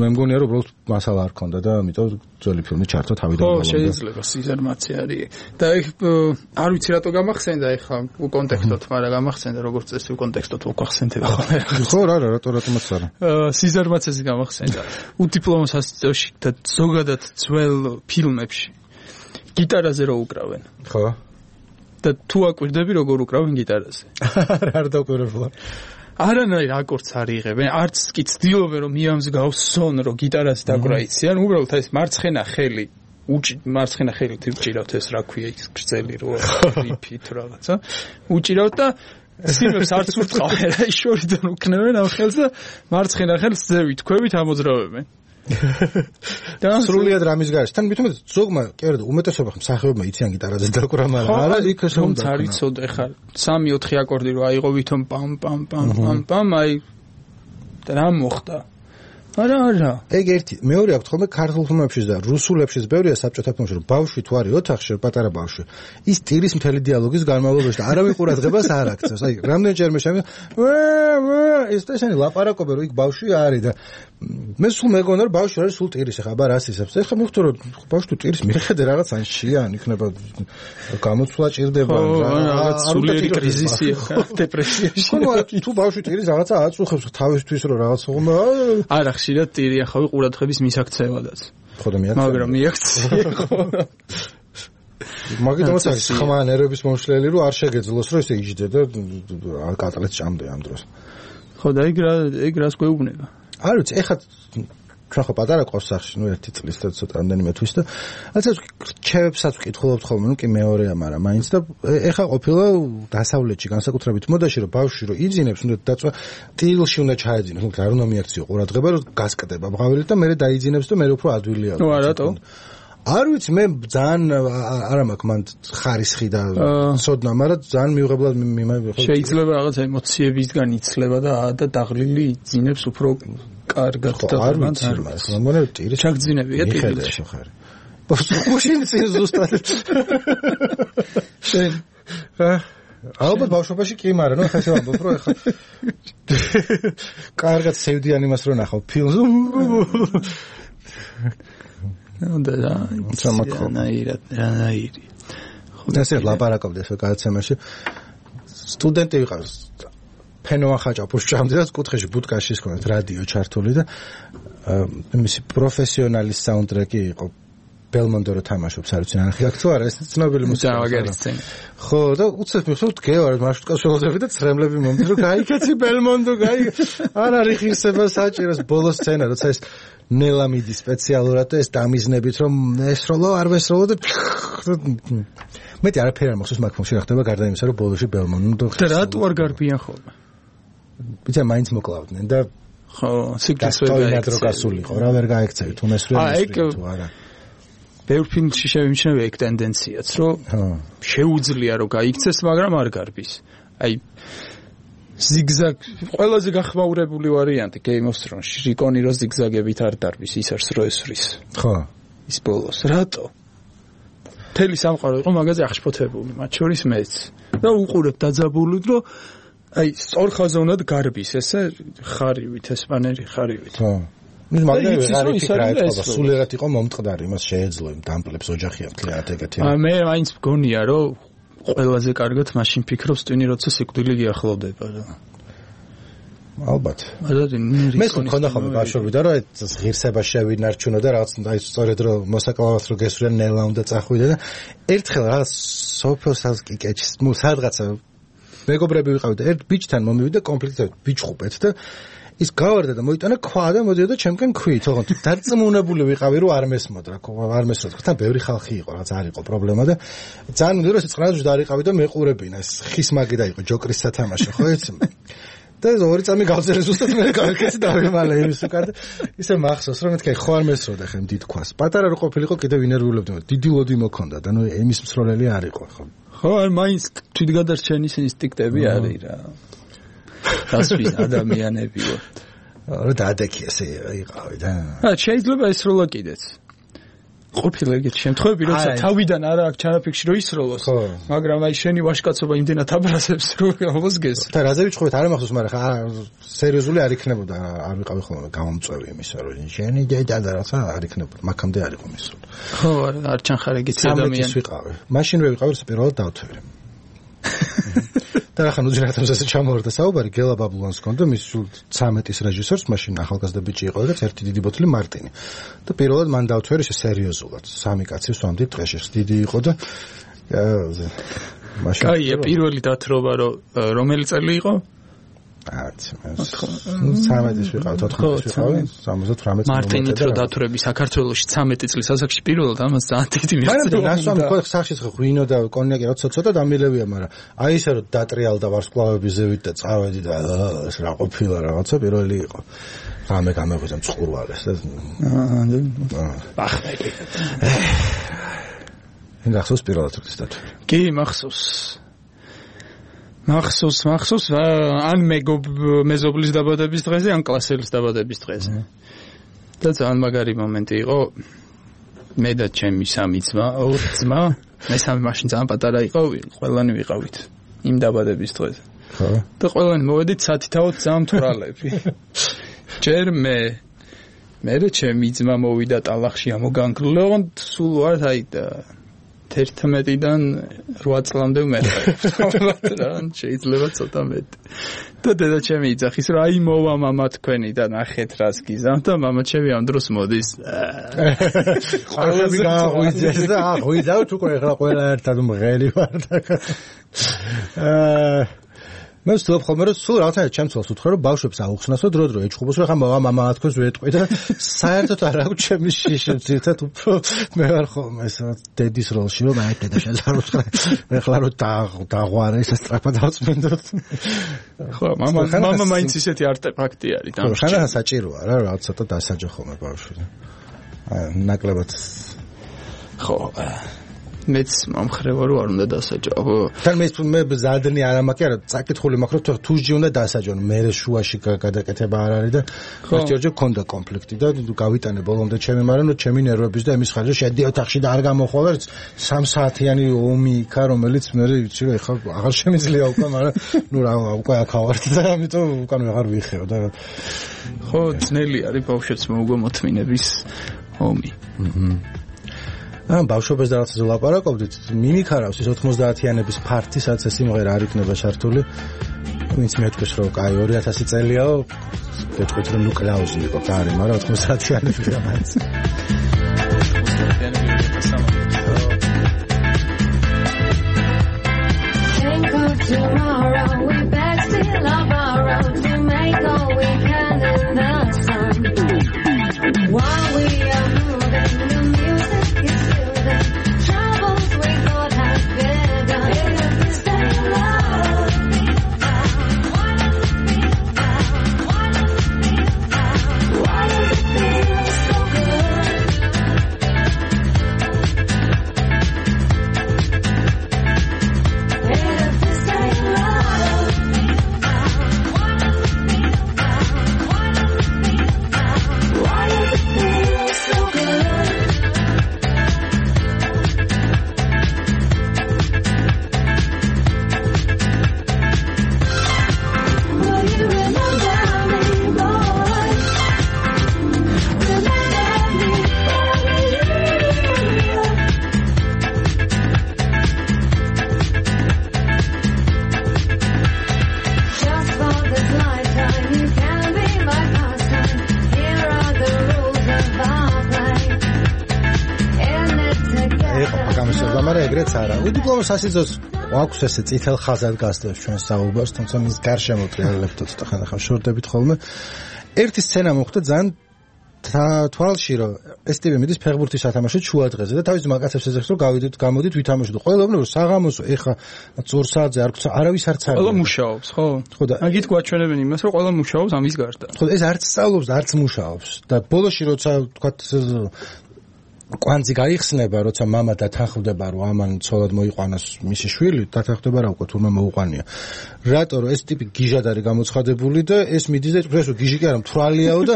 მე მგონია რომ უბრალოდ მასალა არ ქონდა და ამიტომ ძველი ფილმი ჩართო თავიდან ბოლომდე შეიძლება სიზარმაცე არის და ეგ არ ვიცი რატო გამახსენდა ეხლა უკონტექსტოთ მაგრამ გამახსენდა როგორც წესი უკონტექსტოთ უკახსენდება ხო რა რატომაც არა სიზარმაცეს გამახსენდა უდიპლომო სასწავლში და ზოგადად ძველ ფილმებში გიტარაზე რო უკრავენ ხო და თუ აკვირდები როგორ უკრავენ გიტარაზე არ დაკვირვებულა არანაირ აკორდს არ იღებენ არც კი ცდილობენ რომ მიამსგავსონ რომ გიტარაზე დაკვრა იციან უბრალოდ ეს მარცხენა ხელი უჭირავთ ეს რა ქვია ის გრძელი რო რიფი თუ რაღაცა უჭირავთ და სიმებს არც ურტყავენ რა შორიდან უკნევენ ამ ხელს და მარცხენა ხელს ძევით ქვევით ამოძრავებენ და სრულიად რამის გარშ თან მithumet ზოგმა კი არა უმეტესობა მსახიობმა იციან გიტარაზე დაკვრა მაგრამ არა იქ ეს რომ არ იცოდე ხა 3-4 აკორდი რო აიღო ვითომ პამ პამ პამ პამ პამ აი და რა მოხდა არა ეგ ერთი მეორე აქვს ხოლმე ქართულ ფილმებში და რუსულებში ბევრია საბჭოთა ფილმებში რომ ბავშვი თუ არის ოთახში პატარა ბავშვი ის ტირის მთელი დიალოგის განმავლობაში და არავინ ყურადღებას არ აქცევს აი რამდენჯერმე შემი ეს ესენი ლაპარაკობენ რომ იქ ბავშვი არის და მე სულ მეგონა რომ ბავშვი არის სულ ტირის ახლა აბა რას ისებს ეხლა მივხვდი რომ ბავშვი თუ ტირის მიხედე რაღაც ან შიან იქნება გამოცვლა ჭირდება რაღაც სულიერი კრიზისია დეპრესიაში თუ ბავშვი ტირის რაღაცა აწუხებს თავისთვის რომ რაღაც უღმა არა ხშირად ტირი ახავი ყურადღების მისაქცევადაც ხო და მიაქცია მაგრამ მიაქცია ხო მაგიტომაც არის ხმა ნერვების მომშლელი რომ არ შეგეძლოს რომ ესე იჯდე და კატალეთ ჭამდე ამ დროს ხო და ეგ რას გვეუბნება არ ვიცი ეხლა ჩვენ ხო პატარა ყავს სახში ნუ 1 წლის და ცოტა ამდენიმე თვის და ასე რჩევებსაც ვკითხულობთ ხოლმე ნუ კი მეორეა მაგრამ მაინც და ეხლა ყოფილა დასავლეთში განსაკუთრებით მოდაში რომ ბავშვი რომ იძინებს უნდა დაწვა ტილში უნდა ჩაეძინოს ნუ არ უნდა მიაქციო ყურადღება რომ გასკდება ბღავილი და მე დაიძინებს და მე უფრო ადვილია ნუ არათო არ ვიცი მე ძალიან არ მაქვს მან ხარისხი და სოდნა მაგრამ ძალიან მიუღებლად შეიძლება რაღაც ემოციებისგან იცლება და დაღლილი იძინებს უფრო კარგად და არ ვიცი მას მგონია ტირის ჩაგძინებია ტილში ხარი ბავშვი წინ ზუსტად შენ ალბათ ბავშვობაში კი მაგრამ ნუ ხასე ვამბობ რომ ეხლა კარგად სევდიან იმას რომ ნახავ ფილმს და რანაირი ესე ლაპარაკობდი ეს გადაცემაში სტუდენტი ვიყავს ფენოა ხაჭაპურს ჭამდე კუთხეში ბუტკაში ისქონეთ რადიო ჩართული და მისი პროფესიონალის საუნდტრეკი იყო ბელმონდო რო თამაშობს არ ვიცი ნახე აქ თუ არა ეს ცნობილი მუსიკა ხო და უცებ მიხსოვთ გეوار მარშრუტკას ველოდები და ცრემლები მომდის რომ გაიქეცი ბელმონდო არ არის ხირსება საჭიროს ბოლო სცენა როცა ეს ნელამიდი სპეციალურად და ეს დამიზნებით რომ ესროლო არ ვესროლო და მეტი არაფერი არ მახსოვს მაგ ფილმში რა ხდება გარდა იმისა რომ ბოლოში ბელმონდო და რატო არ გარბიან ხოლმე ბიჭა მაინც მოკლავდნენ და ხო სიკრეტს ვერ გაიქცევი რა ვერ გაიქცევი თუ მესვრე თუ არა ბევრ ფილმში შევიმჩნევი ეგ ტენდენციაც, რომ შეუძლია რომ გაიქცეს, მაგრამ არ გარბის. აი ზიგზაგ ყველაზე გახმაურებული ვარიანტი Game of Thrones-ში რიკონი რო ზიგზაგებით არ დარბის, ის არს რო ესვრის. ხო. ის ბოლოს რატო? თელი სამყარო იყო მაგაზე აღშფოთებული, მათ შორის მეც. და უყურებ დაძაბულოდ, რომ აი სწორხაზოვნად გარბის ესე ხარივით, ესპანელი ხარივით. ხო. ნუ მაგრამ ვეღარ იფიქრა ეთქობა, სულიერად იყო მომწყდარი, იმას შეეძლო იმ დამპლებს ოჯახი ამთლიანად ეგეთი. მე მაინც მგონია, რომ ყველაზე კარგად მაშინ ფიქრობს ტვინი, როცა სიკვდილი გიახლოვდება რა. ალბათ. მე მქონდა ხოლმე ბავშვობიდან, რომ ეს ღირსება შევინარჩუნო და რაღაც აი სწორედ რომ მოსაკლავად რო გესვრიან ნელა უნდა წახვიდე და ერთხელ რაღაც სოფელსაც კიკეჩს, ნუ სადღაცა მეგობრები ვიყავით და ერთ ბიჭთან მომივიდა კონფლიქტი ბიჭხუბეთ და ის გავარდა და მოიტანა ქვა და მოდიოდა ჩემკენ ქვით, ოღონდ დარწმუნებული ვიყავი რომ არ მესმოდ რა, არ მესმოდ, თან ბევრი ხალხი იყო, რაც არ იყო პრობლემა და ძალიან მინდა რომ სიწყნარში დაარიყავი და მეყურებინა, ეს ხის მაგი და იყო ჯოკრის სათამაშო, ხო იცი? და ორი წამი გავწერე ზუსტად მე გავიქეცი და ვიმალე იმის უკან და ისე მახსოვს რომ მეთქი ხო არ მესროდა ხე დიდ ქვას. პატარა რო ყოფილიყო კიდევ ინერვიულებდი, დიდი ლოდი მოქონდა და ნუ იმის მსროლელი არ იყო ხო. ხო, არ მაინც თვითგადარჩენის ინსტინქტები არის რა. დასვი ადამიანები ვარ. რა დაადექი ესე იყავი და. შეიძლება ესროლა კიდეც. ყოფილა ეგეთი შემთხვევები, როცა თავიდან არა აქვს ჩანაფიქში რომ ისროლოს, მაგრამ აი შენი ვაჟკაცობა იმდენად აბრაზებს რომ გავოსგეს. და რაზე ვიჩხუბეთ, არ მახსოვს, მაგრამ სერიოზული არ იქნებოდა, არ ვიყავი ხოლმე გამომწვევი იმისა, რომ შენი დედა და რაცა არ იქნებოდა, მაგამდე არ იყო მისროლ. ხო, არ ჩანხარ ეგეთი ადამიანი. ვიყავი. მაშინ რო ვიყავი, პირველად დავთვერე. და ახლა ნუ ძირითადად ესე ჩამოვარდა საუბარი, გელა ბაბულანს ჰქონდა, მის სულ 13-ის რეჟისორს, მაშინ ახალგაზრდა ბიჭი იყო და ერთი დიდი ბოთლი მარტინი. და პირველად მან დავთვერე ესე სერიოზულად, სამი კაცი სვამდით დღეში, დიდი იყო და მაშინ კაია, პირველი დათრობა რომელი წელი იყო? 13-ის ვიყავ, 14-ის ვიყავი, 78 მარტინით რო დათვრები საქართველოში 13 წლის ასაკში პირველად ამას ძალიან დიდი მიღწევა. მაგრამ ნასვამი ხო სახში ღვინო და კონიაკი რა ცოტა დამილევია, მაგრამ აი ესე რომ დატრიალდა ვარსკვლავების ზევით და წავედი და ეს რა ყოფილა რაღაცა პირველი იყო. რამე გამეღვიძა მწყურვალეს და ახლა მახსოვს პირველად ის დათვრა. კი, მახსოვს. მახსოვს, ან მეზობლის დაბადების დღეზე, ან კლასელის დაბადების დღეზე. და ძალიან მაგარი მომენტი იყო. მე და ჩემი სამი ძმა, ორი ძმა, მე სამი მაშინ ძალიან პატარა იყო, ყველანი ვიყავით იმ დაბადების დღეზე. ხო. და ყველანი მოვედით სათითაოდ ძალიან მთვრალები. ჯერ მე ჩემი ძმა მოვიდა ტალახში ამოგანგრილა, ოღონდ სულ ვარ აი 11-დან 8 წლამდე ვმეყავ რა, შეიძლება ცოტა მეტი. და დედა ჩემი იძახის რომ აი მოვა მამა თქვენი და ნახეთ რას გიზამ და მამა ჩემი ამ დროს მოდის. ყველები გაღვიძეს და აღვიძავთ უკვე ახლა ყველა ერთად მღერი ვარ და მე ვსწავლობ ხოლმე რომ სულ რაღაცა ჩემცოლს უთხრა რომ ბავშვებს აუხსნასო დრო ეჭხუბოს რომ ხა მამა თქვენს ვეტყვი და საერთოდ არ აქვს ჩემი შიშებცირთად უფრო მე ვარ ხოლმე ეს დედის როლში რომ აი დედა შეზარუცხა ეხლა რომ დაღვარე ეს სწრაფად დავწმენდოთ. ხო, მამა მაინც ისეთი არტეფაქტი არის და ხანა საჭიროა რა რაღაც ცოტა დასაჯო ხოლმე ბავშვი. ნაკლებად ხო მეც მომხრევა რომ არ უნდა დასაჯო. თან მე ზადნი არ ამაკი არა წაკითხული მაქვს რომ თუჯი უნდა დასაჯონ, მე შუაში გადაკეთება არ არის და ერთჯერ გქონდა კონფლიქტი და გავიტანე ბოლომდე ჩემი, მაგრამ ჩემი ნერვების და იმის ხარჯზე შედი ოთახში და არ გამოხვალ 3 საათიანი ომი იქა, რომელიც მე ვიცი რომ ეხლა აღარ შემიძლია უკვე, მაგრამ ნუ რა უკვე აქ ავართ და ამიტომ უკან აღარ ვიხეო და ხო ძნელი არის ბავშვებს მოუგო მოთმინების ომი. ბავშვებს და რაღაცაზე ლაპარაკობდით, მიმიქარავს ის 90-იანების ფართი, სადაც ეს სიმღერა არ იქნება ჩართული. ვინც მეთქვის რომ კაი 2000 წელიაო, გეტყვით რომ ნუ კლაუზი იყო კარი, მაგრამ 90-იანები და მაინც. თვითონ სასიძოს აქვს ესე წითელ ხაზად გასდევს ჩვენ საუბარს, თუმცა მის გარშემო ტრიალებთ ცოტა ხანახან შორდებით ხოლმე. ერთი სცენა მოხდა ძალიან თვალში რომ ეს ტიპი მიდის ფეხბურთის სათამაშოდ შუა დღეზე და თავის მაკაცებს ეძახს რომ გავიდეთ გამოდით ვითამაშოთ. ყველაფერი რომ საღამოსო ეხა წორსაძე არ გქცა არავის არც არის. ყველა მუშაობს, ხო? ხო და აგით გვაჩვენებენ იმას რომ ყველა მუშაობს ამის გარდა. ხო ეს არც სწავლობს, არც მუშაობს და ბოლოში როცა თქვათ კვანძი გაიხსნება, როცა მამა დათანხმდება რომ ამან ცოლად მოიყვანოს მისი შვილი, დათანხმდება რა უკვე თურმე მოუყვანია. რატო რომ ეს ტიპი გიჟად არის გამოცხადებული და ეს მიდის და ეს გიჟი კი არა მთვრალიაო და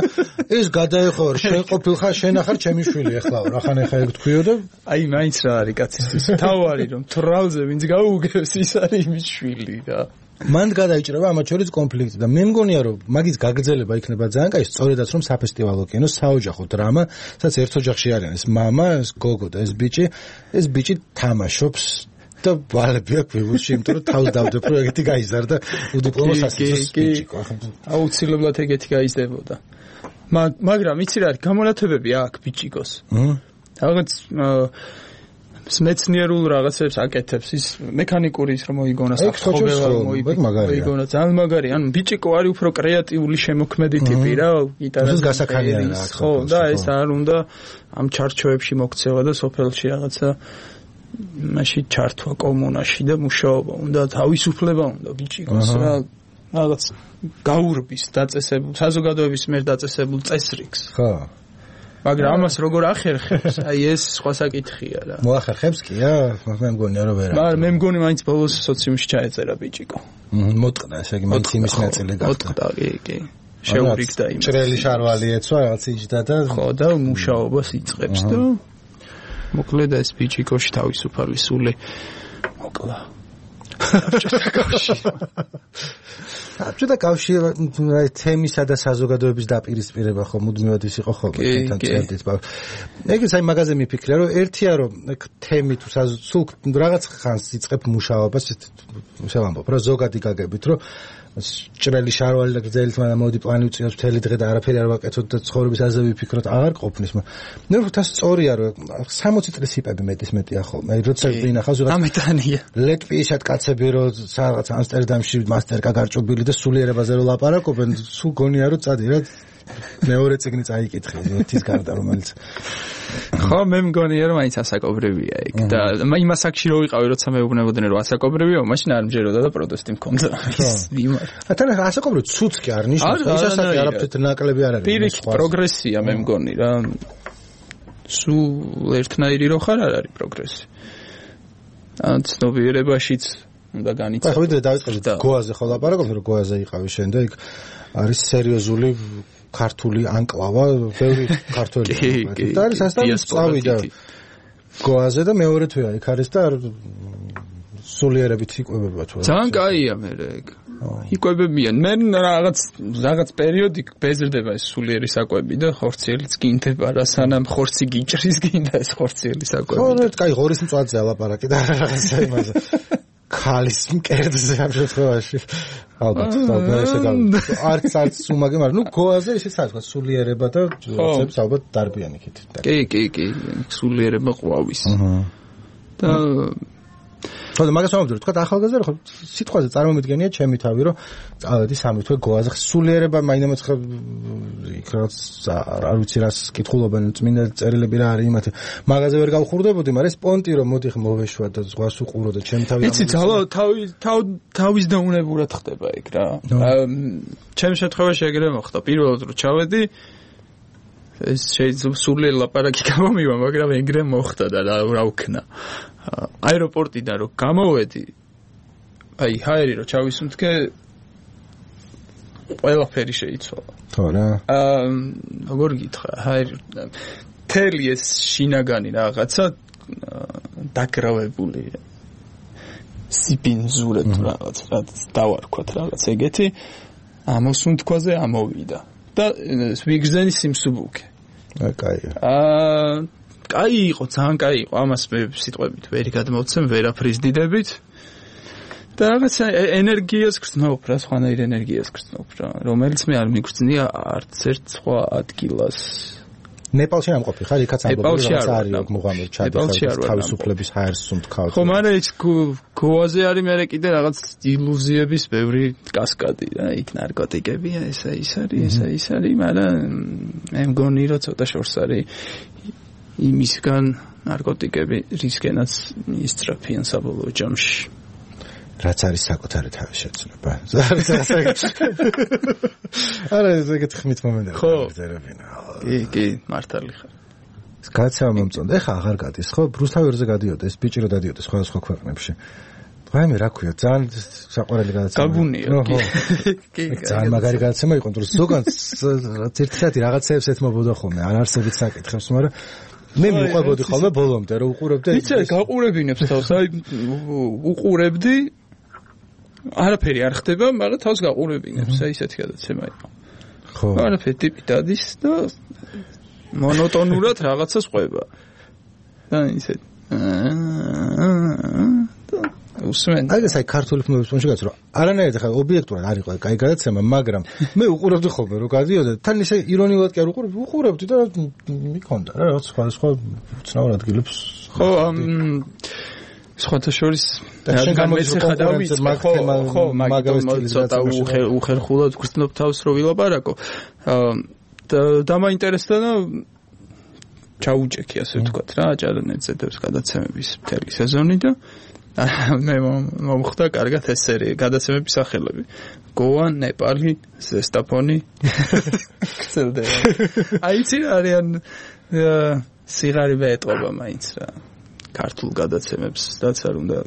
ეს გადაეხოვარ შენ ყოფილხარ შენ ახარ ჩემი შვილი ეხლაო რახან ეხა ეგ თქვიო და აი მაინც რა არის კაცისთვის თავარი რომ თვრალზე ვინც გაუგებს ის არის იმის შვილი და მან გადაიჭრება ამათ შორის კონფლიქტი და მე მგონია რომ მაგის გაგრძელება იქნება ძალიან კაი, სწორედაც რომ საფესტივალო კინო, საოჯახო დრამა, სადაც ერთ ოჯახში არიან ეს მამა, ეს გოგო და ეს ბიჭი თამაშობს და ვალები აქვს ვიბურში, იმიტომ რომ თავს დავდებ რომ ეგეთი გაიზარდა უდიპლომო სასიცოცხლო ბიჭი. აუცილებლად ეგეთი გაიზრდებოდა. მაგრამ იცი რა არის გამონათებები აქ ბიჭიკოს. რაღაც მეცნიერულ რაღაცებს აკეთებს ის მექანიკური ის რომ მოიგონა საფრთხეობა მოიგონა ძალიან მაგარი ანუ ბიჭიკო არის უფრო კრეატიული შემოქმედი ტიპი რა გიტარას გასახარიანა ხო და ეს არ უნდა ამ ჩარჩოებში მოქცევა და სოფელში რაღაცა მაშინ ჩართვა კომუნაში და მუშაობა უნდა თავისუფლება უნდა ბიჭიკოს რა რაღაც გაურბის დაწესებულ საზოგადოების მიერ დაწესებულ წესრიგს ხო მაგრამ ამას როგორ ახერხებს? აი ეს სხვა საკითხია რა. მოახერხებს კი რა? მე მგონია რომ ვერა. მაგრამ მე მგონი მაინც ბოლოს სოციუმში ჩაეწერა ბიჭიკო. მოტყდა, ესე იგი მაინც იმის ნაწილი გახდა. მოტყდა, კი. შეურიგდა იმას. ჭრელი შარვალი ეცვა რაღაც იჯდა და ხო და მუშაობას იწყებს და მოკლედ ეს ბიჭიკოში თავისუფალი სული მოკლა. საბჭოთა კავშირი თემისა და საზოგადოების დაპირისპირება ხო მუდმივად ის იყო ხოლმე თან წერდით. ეგეც აი მაგაზე მიფიქრე რომ ერთია რომ თემი თუ სულ რაღაც ხანს იწყებ მუშაობას ისე ვამბობ რა ზოგადი გაგებით რომ ჭრელი შარვალი და გრძელი თმა მოდი პლანი უწიოს მთელი დღე და არაფერი არ ვაკეთოთ და ცხოვრების აზე ვიფიქროთ აღარ ყოფნის მე ვთქვი სწორია რომ 60 წლის იპები მეტია ხოლმე როცა ვინახავს რაღაც ამეტანია ლეტვიისად კაცები რომ რაღაც ამსტერდამში მასტერკა გარჭობილი და სულიერებაზე რომ ლაპარაკობენ სულ გონია რომ წადი რა მეორე წიგნი წაიკითხე ერთის გარდა რომელიც ხო მე მგონია რომ მაინც ასაკობრივია ეგ და იმას აქში რო ვიყავი როცა მეუბნებოდნენ რომ ასაკობრივია მაშინ არ მჯეროდა და პროტესტი მქონდა ის იმარ თან ასაკობრივი ცუც კი არ ნიშნავს ის ასაკი არაფრით ნაკლები არ არის პირიქით პროგრესია მე მგონი რა სულ ერთნაირი რო ხარ არ არის პროგრესი ან ცნობიერებაშიც უნდა განიცადო ხო ვიდრე დავიწყეთ გოაზე ხო ლაპარაკობთ რომ გოაზე იყავი შენ და იქ არის სერიოზული ქართული ანკლავა, ბევრი ქართველი. და არის ასთან წავიდა გოაზე და მეორე თვეა იქ არის და სულიერებით იკვებება თუ. ძალიან კაია მე ეგ. იკვებებიან. მე რაღაც პერიოდი ბეზრდება ეს სულიერი საკვები და ხორციელიც გინდება რა სანამ ხორცი გიჭრის გინდა ეს ხორციელი საკვები. ხო, კაი ღორის მწვაძე ალაპარაკი და რაღაცა იმაზე. ქალის მკერდზე ამ შემთხვევაში ალბათ ესე არც უმაგე მაგრამ ნუ გოაზე ისე საერთოდ სულიერება და როცებს ალბათ დარბიან იქით კი სულიერება ყვავის და ხო და მაგას ვამბობ თქვა ახალგაზრდა ხო სიტყვაზე წარმომიდგენია ჩემი თავი რომ წავედი 3 თვე გოაზე სულიერება მაინც იქ რაც არ ვიცი რას კითხულობენ წმინდა წერილები რა არის იმათი მაგაზე ვერ გავხურდებოდი მაგრამ ეს პონტი რომ მოდი მოვეშვა და ზღვას უყურო და ჩემი თავი იცი ძალა თავის დაუნებურად ხდება ეგ რა ჩემ შემთხვევაში ეგრე მოხდა პირველად რომ ჩავედი ეს შეიძლება სულიერ ლაპარაკი გამომივა მაგრამ ეგრე მოხდა და რა ვქნა აეროპორტიდან რომ გამოვედი აი ჰაერი რომ ჩავისუნთქე ყველაფერი შეიცვალა ხო რა როგორ გითხრა ჰაერი თელი ეს შინაგანი რაღაცა დაგრავებული სიპინზურე თუ რაღაც დავარქვათ რაღაც ეგეთი ამოსუნთქვაზე ამოვიდა და ვიგრძენი სიმსუბუქე კაია კაი იყო, ძალიან კაი იყო. ამას მე სიტყვებით ვერ გადმოვცემ, ვერაფრის დიდებით. და რაღაც ენერგიას გრძნობ რა, სხვანაირ ენერგიას გრძნობ რა, რომელიც მე არ მიგრძნია არც ერთ სხვა ადგილას. ნეპალში არ მყოფი ხარ? იქაც ამბობენ რომ არის მუღამედ ჩადის თავისუფლების ჰაერს უმთქავს. ხო, მაგრამ ის გოაზე არის მე კიდე რაღაც ილუზიების ბევრი კასკადი რა, იქ ნარკოტიკებია, ესა ის არის, მაგრამ მე მგონი რომ ცოტა შორს არის იმისგან ნარკოტიკები რისკენაც ისწრაფიან საბოლოო ჯამში. რაც არის საკუთარი თავის შეცნობა. არა ეგეთ ხმით მომენტები ძერებინა. კი, მართალი ხარ. გადაცემა მომწონდა. ეხა აღარ გადის, ხო? რუსთავერზე გადიოდა, ეს ბიჭი რო დადიოდა სხვადასხვა ქვეყნებში. ვაიმე, რა ქვია, ძალიან საყვარელი გადაცემა. გაგუნია. კი. ძალიან მაგარი გადაცემა იყო, თუმცა ზოგადად ერთ-ერთი რაღაცეებს ეთმობოდა ხოლმე, არ არსებიც საკითხებს, მაგრამ მე მიყვებოდი ხოლმე ბოლომდე, რომ უყურებდი. იცი, გაყურებინებს თავს, აი უყურებდი არაფერი არ ხდება, მაგრამ თავს გაყურებინებს, აი ესეთი გადაცემა იყო. ხო. არაფერი ტიპი დადის და მონოტონურად რაღაცას ყვება. და ისეთი. უსმენ. აი ეს ქართული ფილმების პონჩი გაც რომ არანაირად ხა ობიექტურად არ იყო კაი გადაცემა, მაგრამ მე უყურებდი ხოლმე რომ გადიოდა, თან ისე ირონიულად კი არ უყურებდი და მიქონდა რა რაღაც სხვა ცნაურ ადგილებს. ხო, სხვათა შორის გამეცეხა დავიწყე, ხო, მაგალითად ცოტა უხერხულად გრძნობ თავს რო ვილაპარაკო. დამაინტერესდა და ჩაუჭექი ასე ვთქვათ რა, აჭარანეთზე დევს გადაცემების მთელი სეზონი და მე მომხდა კარგად ეს სერია, გადაცემების სახელები. გოა, ნეპალი, ზესტაფონი. ხსელდა. აიცი არიან სიღარიბე ეტყობა მაინც რა. ქართულ გადაცემებს რაც არ უნდა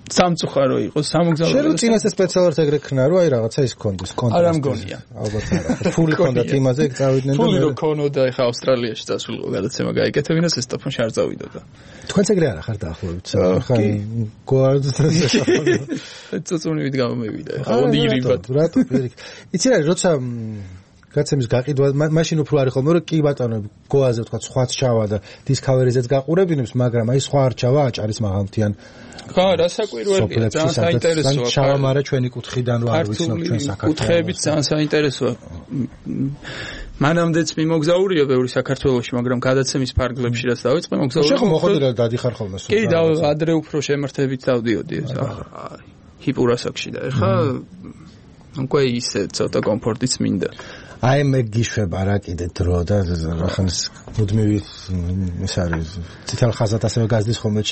სამწუხარო იყოს, სამოგზაურო. შენ რო წინასე სპეციალურად ეგრე ქნა რომ აი რაღაცა ის კონდეს, კონტრასტი. არა მგონია. ალბათ არა. ფული კონდათ იმაზე ეგ წავიდნენ და ფული რო ქონოდა ეხა ავსტრალიაში წასულიყო გადაცემა გაიკეთებინა სესტაფონში არ წავიდოდა. თქვენც ეგრე არა ხარ დაახლოებით. ხა გოარდსტაფონი. წუწუნივით გამომევიდა. ეხა ოდირიბად. რატო პირიქ. იცი რა როცა გადაცემის გაყიდვა მაშინ უფრო არის ხოლმე რომ კი ბატონო გოაზე ვთქვა სხვაც ჩავა და დისკავერიზეც გაყურებინებს, მაგრამ აი სხვა არ ჩავა აჭარის მაღალმთიან. ხა, რასაკვირველია, ძალიან საინტერესოა. ჩავა, მაგრამ ჩვენი კუთხიდან რო არ ვიცნობ ჩვენ საქართველოს. კუთხეებით ძალიან საინტერესოა. მანამდეც მიმოგზაურია ბევრი საქართველოში, მაგრამ გადაცემის ფარგლებში რაც დავიწყე, მოგზაურია. შეხო მოხდა და დადიხარ ხოლმე სულ. კი, და ადრე უფრო შემართებით დავდიოდი, ჰიპურასაკში და ეხა უკვე ისე ცოტა კომფორტიც მინდა. აი მე გიშვება რა კიდე დრო და ახანს მუდმივი ეს არის ციტალ ხაზად ასევე გაზდის ხოლმე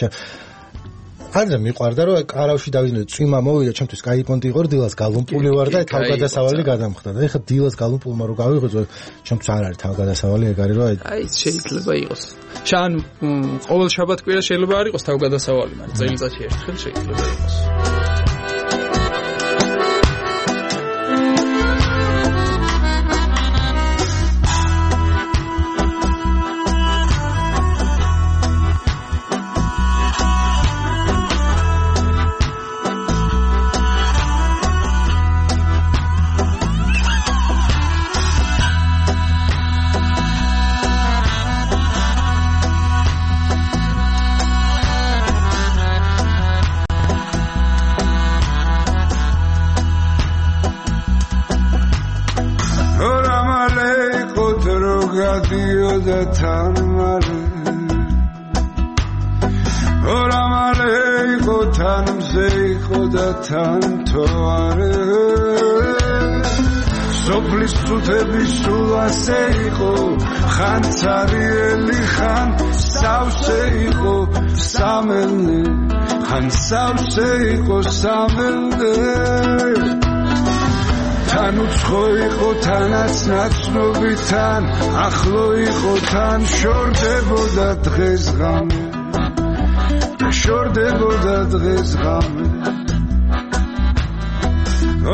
ადრე მიყვარდა რომ კარავში დავიდნენ წვიმა მოვიდა ჩემთვის კაი პონტი იყო დილას გალუმპული ვარ და თავგადასავალი გადამხდა და ეხლა დილას გალუმპულმა რო გავიღვიძო ჩემთვის არ არის თავგადასავალი ეგ არის რომ აი შეიძლება იყოს შან ყოველ შაბათ-კვირა შეიძლება არ იყოს თავგადასავალი მაგრამ წელიწადში ერთხელ შეიძლება იყოს Seiko samelde Tan utsxo iqo tanats natsnobitan Akhlo iqo tan shordeboda dges game Shordeboda dges game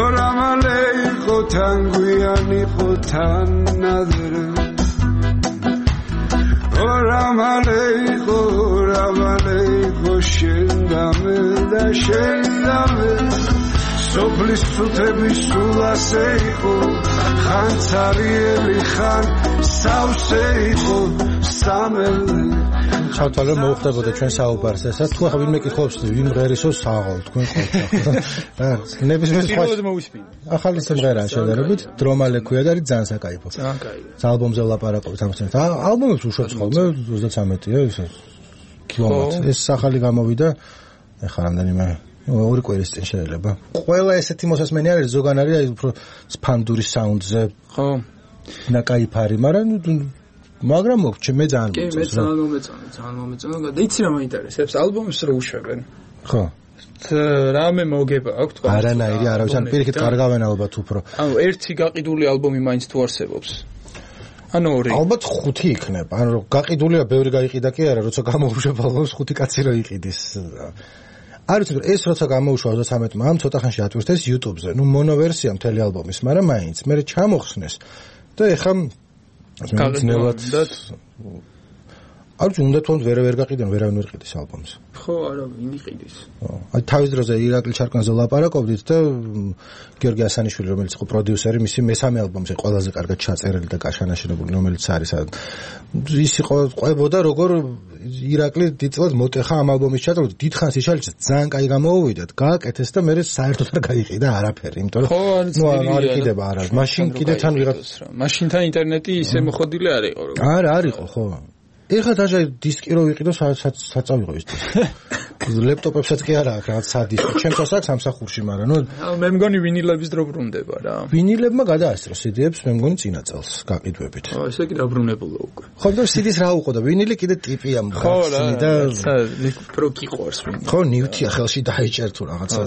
Oramale iqo tan guyan iqo tan nadre Oramale iqo შენდამე და შენდამე სოფლის წუთების სულასე იყო ხან цаრიელი ხან სავსე იყო სამელე ჩავთვალე მოუხდებოდა ჩვენ საუბარს ესა თუ ახლა ვინმე კითხავს ვინ მღერისო საღოლ თქვენ ხო ნებისმიერ სხვა ახალი სიმღერაა შედარებით დრომალე ქვია და არის ძალიან საკაიფო ალბომზე ვლაპარაკობთ ამ თემას ალბომებს უშვებს ხოლმე 33-ია ისე კილომეტრი ეს ახალი გამოვიდა ეხლა რამდენიმე ორი კვირის წინ შეიძლება ყველა ესეთი მოსასმენი არის ზოგან არის აი უფრო სპანდურის საუნდზე ხო ნაკაიფარი მაგრამ მოგჩი მე ძალიან ძალიან მომეწონა და იცი რა მაინტერესებს ალბომს რო უშვებენ ხო რამე მოგება აქვს თქვა არანაირი არავის ან პირიქით კარგავენ ალბათ უფრო ანუ ერთი გაყიდული ალბომი მაინც თუ არსებობს ანუ ორი ალბათ 5 იქნება ანუ გაყიდულია ბევრი გაიყიდა კი არა როცა გამოუშვება ალბომს 5 კაცი რო იყიდის არ ვიცი ეს როცა გამოუშვა 33-მა ამ ცოტა ხანში ატვირთეს YouTube-ზე ნუ მონოვერსია მთელი ალბომის მაგრამ მაინც მე ჩამოხსნეს და ეხლა გაგზნელად არ უნდა თუნდაც ვერ გაყიდენ ვერავინ ვერ ყიდის ალბომს ხო არა ვინ იყიდის აი თავის დროზე ირაკლი ჩარკვანზე ლაპარაკობდით და გიორგი ასანიშვილი რომელიც იყო პროდიუსერი მისი მესამე ალბომზე ყველაზე კარგად ჩაწერილი და გაშანაშრებული რომელიც არის ის იყო ყვებოდა როგორ ირაკლი დიდწილად მოტეხა ამ ალბომის ჩაწერა დიდხანს იშალიჭა ძალიან კაი გამოუვიდათ გააკეთეს და მე საერთოდ არ გაიყიდა არაფერი იმიტომ რომ ნუ არ იყიდება არა მაშინ კიდე თან ვიღაც მაშინთან ინტერნეტი ისე მოხდილი არ იყო არა არ იყო ხო ეხლა დაჟე დისკი რო ვიყიდო საწავიღო ის დისკი ლეპტოპებსაც კი არა აქვს რაღაც სადისკი ჩემთვის აქვს სამსახურში მაგრამ ნუ მე მგონი ვინილების დრო ბრუნდება რა ვინილებმა გადაასწრო CD-ებს მე მგონი წინა წელს გაყიდვებით ესე კი დაბრუნებულა უკვე ხო და CD-ს რა უყო და ვინილი კიდე ტიპია მგონი და პრო გიყვარს ვინილი ხო ნივთია ხელში დაიჭერ თუ რაღაცა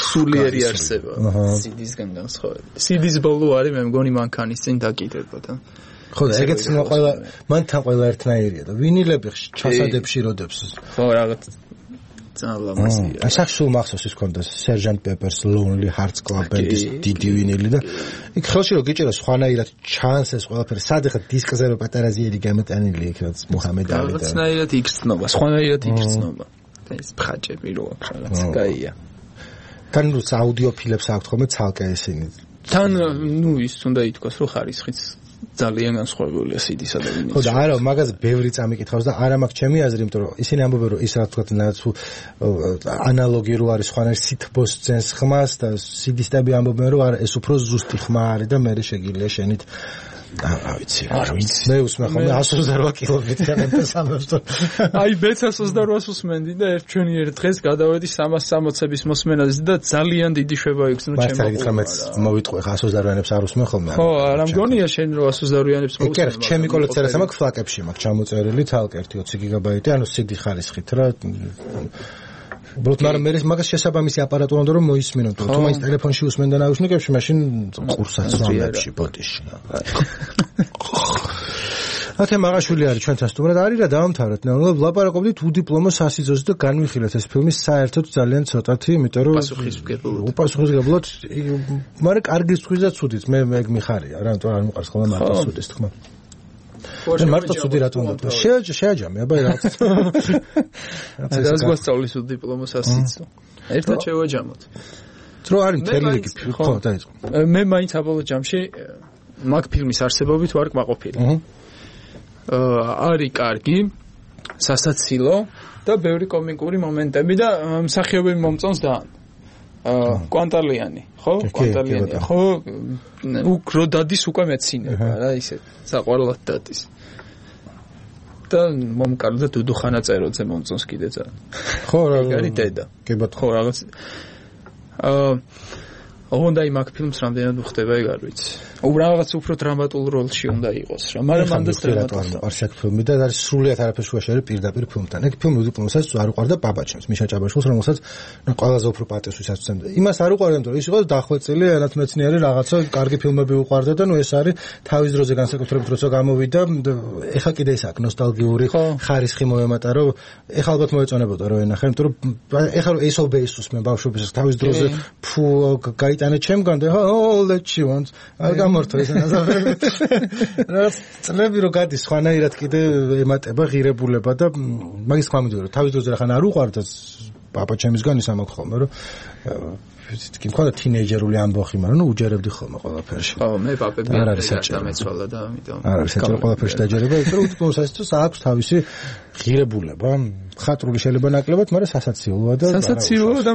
სულიერი არსება CD-სგან განსხვავებით CD-ს ბოლო არის მე მგონი მანქანის წინ დაკიდება და ხო და ეგეც ყველა მანთან ყველა ერთნაირია და ვინილები ჩასადებში როდებს ხო რაღაც ძალიან ლამაზია აი სახსულ მახსოვს ის ქონდა Sgt. Pepper's Lonely Hearts Club Band-ის დიდი ვინილი და იქ ხელში რო გიჭერა სხვანაირად ჩანს ეს ყველაფერი სად ეხა დისკზე რო პატარაზიერი გამოტანილი იქ რაც მუჰამედ ალი და რაღაცნაირად იგრძნობა სხვანაირად იგრძნობა და ეს ბხაჭები რო აქვს რაღაც კაია თან რუს აუდიოფილებს აქვთ ხოლმე ცალკე ისინი თან ნუ ის უნდა ითქვას რომ ხარისხიც ძალიან განსხვავებულია CD-სა და ვინილში. ხო და არა, მაგაზე ბევრი წამიკითხავს და არა მაქვს ჩემი აზრი, იმიტომ რომ ისინი ამბობენ რომ ის რა თქვა თუ ანალოგი რო არის სხვანაირ სითბოს ძენს ხმას და CD-სტები ამბობენ რომ არა, ეს უფრო ზუსტი ხმა არის და მე შეგიძლია შენით არ ვიცი. მე უსმენ ხოლმე 128 კილომეტრიანებს ამბობს. აი მეც 128-ს უსმენდი და ჩვენი ერთ დღეს გადავედი 360-ების მოსმენაზე და ძალიან დიდი შვება იქს ნუ ჩემო. მართლა მეც მოვიტყვე 128-ებს არ უსმენ ხოლმე. ხო, არა მგონია შენ რომ 128-ებს მოусმენ. კი, ჩემი კოლექციაზე მაქვს ფლაკებში მაქვს ჩამოწერილი თალკი 20 გიგაბაიტი, ანუ CD ხარისხით რა. ბროთ მაგრამ მაგას შესაბამისი აპარატურა უნდა რომ მოისმინო თუ მაინც ტელეფონში უსმენ და ნაუშნიკებში მაშინ ყურსაც ვამებში ბოტიში ათე მაგაშვილი არის ჩვენთან სტუმრად არის რა დავამთავრეთ ნეულობ ლაპარაკობდით უდიპლომო სასიძოზე და განვიხილეთ ეს ფილმი საერთოდ ძალიან ცოტათი იმიტომ რომ უპასუხისმგებლად მაგრამ კარგი სხვის და ცუდით მე ეგ მიხარია რა იმიტომ არ მიყვარს ხოლმე მარტო ცუდის თქმა მე მარტო ცუდი რატომ უნდა შეაჯამე აბა რაღაც ეს გვასწავლის უდიპლომო სასიცო ერთად შევაჯამოთ დრო არის მთელი რიგი ხო დაიწყო მე მაინც აბოლო ჯამში მაგ ფილმის არსებობით ვარ კმაყოფილი არის კარგი სასაცილო და ბევრი კომიკური მომენტები და მსახიობები მომწონს და კვანტალიანი ხო კვანტალიანი ხო უკრო დადის უკვე მეცინება რა ისე საყვარლად დადის და მომკარდა დუდუხანა წეროძე მომწონს კიდე ძალიან ხო რა არის დედა კი ბატონო ხო რაღაც უნდა იმაკ ფილმს რამდენად ხდება ეგ არ ვიცი რაღაც უფრო დრამატულ როლში უნდა იყოს რა მაგრამ ამდენს დრამატულად არ შექმნილი და არის სრულიად არაფერ შუაში არის პირდაპირ ფილმთან ეგ ფილმი უდიპლომოსაც არ უყარდა პაპაჩემს მიშა ჭაბაშვილს რომელსაც ყველაზე უფრო პატევს ვისაცემდა იმას არ უყარდა იმიტომ რომ ის იყო დახვეწილი ენათმეცნიერი რაღაცა კარგი ფილმები უყარდა და ნუ ეს არის თავის დროზე განსაკუთრებით როცა გამოვიდა ეხა კიდე ის აქვს ნოსტალგიური ხარისხი მოემატა რომ ეხა ალბათ მოეწონებოდა რომ ენახე იმიტომ რომ ეხა რომ ეს ობეისუს მე ბავშვობის თავის დროზე ფუ გაიტანე ჩემგან და all that she wants გამორთო ეს რა წლები რო გადის ხანაირად კიდე ემატება ღირებულება და მაგის თქმა მინდოდა რომ თავის დროზე ხან არ უყარდა პაპაჩემისგან ის ამაქვს ხოლმე რომ კი მქონდა თინეიჯერული ამბოხი, მაგრამ ნუ უჯერებდი ხოლმე ყველაფერში. ხო, მე პაპები არ არის დამეცვალა და ამიტომ. არ არის საჭირო ყველაფერში დაჯერება, იმიტომ რომ უთქმო სასაცილოს აქვს თავისი ღირებულება, ხატრული შეიძლება ნაკლებად, მაგრამ სასაცილოა და სასაცილოა და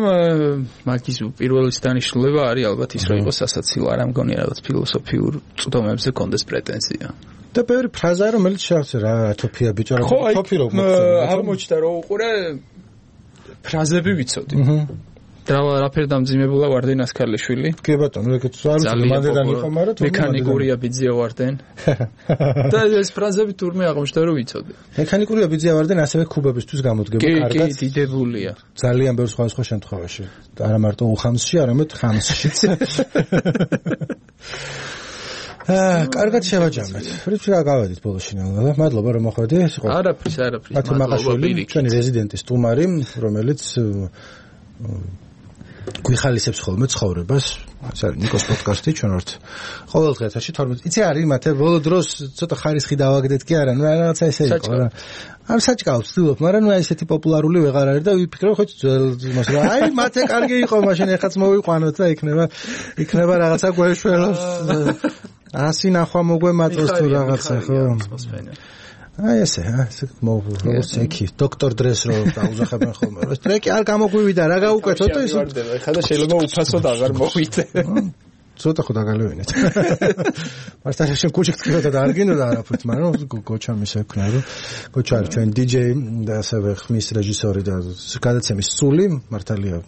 მაგის პირველი დანიშნულება არის ალბათ ის, რომ იყოს სასაცილო, არ ამგონია რაღაც ფილოსოფიურ წვდომებზე კონდეს პრეტენზია. და ბევრი ფრაზაა, რომელიც შეახცე რა ათოფია ბიჭო, რა ათოფი რო აღმოჩნდა რომ უყურე ფრაზები ვიცოდი. რაფერ დამძიმებულა ვარდენ ასკარლიშვილი. კი ბატონო, ეგეც არ ვიცი, მანდედან იყო, მაგრამ მექანიკურია ბიძია ვარდენ. და ეს ფრაზები თურმე აღმოჩნდა რომ ვიცოდი. მექანიკურია ბიძია ვარდენ ასევე ქუბებისთვის გამოდგება კარგად. კი, დიდებულია. ძალიან ბევრ სხვა შემთხვევაში. არა მარტო უხამსში, არამედ ხამსშიც. კარგად შევაჯამეთ. ფრიჩი რა გავედით ბოლოში ნელა. მადლობა რომ მოხვედი. არაფრის. მადლობა ჩვენი რეზიდენტი სტუმარი, რომელიც გვიხალისებს ხოლმე ცხოვრებას. ეს არის ნიკოს პოდკასტი, ჩვენ ვართ ყოველდღე ეთერში 12. იცი არის მათე ბოლო დროს ცოტა ხარისხი დავაგდეთ კი არა, ნუ რაღაცა ესე იყო რა. არ საჭკავს ვცდილობ, მაგრამ ნუ ესეთი პოპულარული ვეღარ არის და ვიფიქრე ხო ძველ იმას რა. აი მათე კარგი იყო, მაშინ ეხაც მოვიყვანოთ და იქნება რაღაცა გვეშველოს. ასი ნახვა მოგვემაწოს თუ რაღაცა ხო? აი ესე როგორც ეკი დოქტორ დრეს რო დაუზახებენ ხოლმე ეს ტრეკი არ გამოგვივიდა რა გაუკეთოთ ეს ხა და შეიძლება უფასოდ აღარ მოვიდე ცოტა ხო დაგალევინეთ მართლა შენ კუჩი გწკროდა და არ გინდა არაფერთ მაგრამ გოჩა მის ეკნა რომ გოჩა არის ჩვენ დიჯეი და ასევე ხმის რეჟისორი და გადაცემის სული მართალია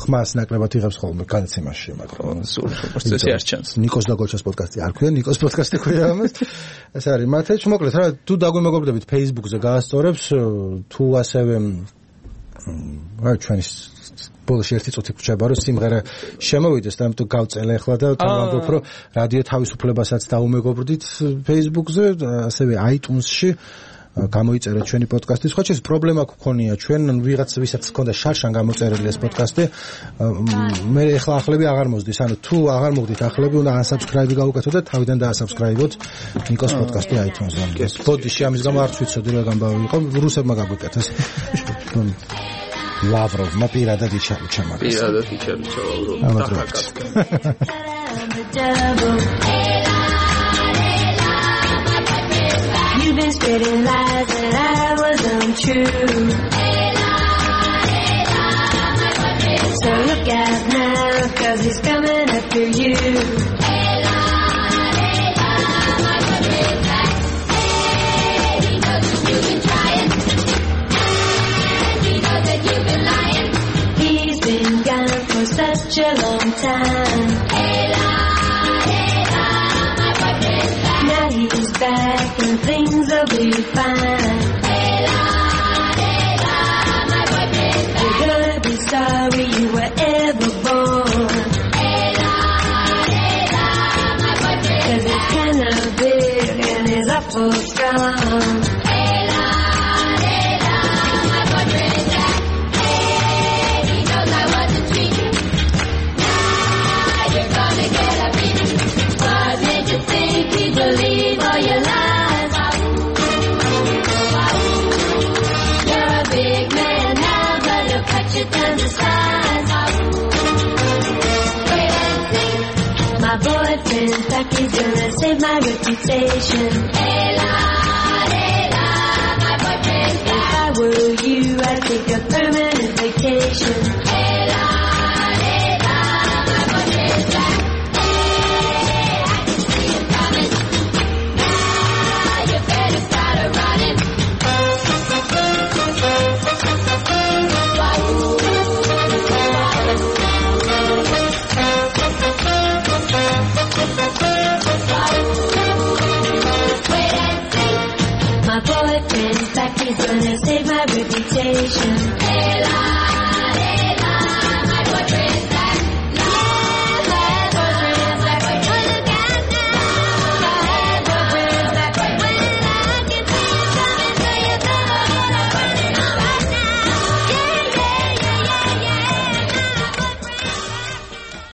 ხმას ნაკლებად იღებს ხოლმე განცემაში მაგრამ სულ პროცესი არ ჩანს ნიკოს და გოჩას პოდკასტი არ ქვია ნიკოს პოდკასტი ქვია ამას ეს არის მათეჩ მოკლედ რა თუ დაგვიმეგობრდებით Facebook-ზე გაასწორებს თუ ასევე რა ჩვენი ბოლოში ერთი წუთი გრჩება რომ სიმღერა შემოვიდეს და ამიტომ გავწელე ახლა და თავამბობ რომ რადიო თავისუფლებასაც დაუმეგობრდით Facebook-ზე ასევე iTunes-ში გამოიწერეთ ჩვენი პოდკასტი. სხვა შეიძლება პრობლემა გქონია ჩვენ ვიღაც ვისაც ჰქონდა შარშან გამოწერილი ეს პოდკასტი მე ახლა ახლები აღარ მოსდის. ანუ თუ აღარ მოგდით ახლები უნდა unsubscribe გაუკეთოთ და თავიდან დაასაბსკრაიბოთ ნიკოს პოდკასტი iTunes-ზე. ბოდიში ამის გამო არც ვიცოდი რა გამბავი იყო რუსებმა გაგვიკეთეს. ლავროვმა პირადად იჩარიჩა მაგას. პირადად იჩარიჩა ლავროვმა. You've been spreading lies that I was untrue. So look out now, 'cause he's coming after you. He knows that you've been trying, and he knows that you've been lying. He's been gone for such a long time. Now he's back and things will be fine. You're gonna be sorry you were ever born. 'Cause it's kinda big and it's awful strong. He knows I wasn't cheating. Now you're gonna get a beating. What made you think he'd believe all your lies? You're a big man now, but he'll cut you down to size. Wait and see, my boyfriend's back, he's gonna save my reputation. My boyfriend's back. If I were you, I'd take a permanent vacation.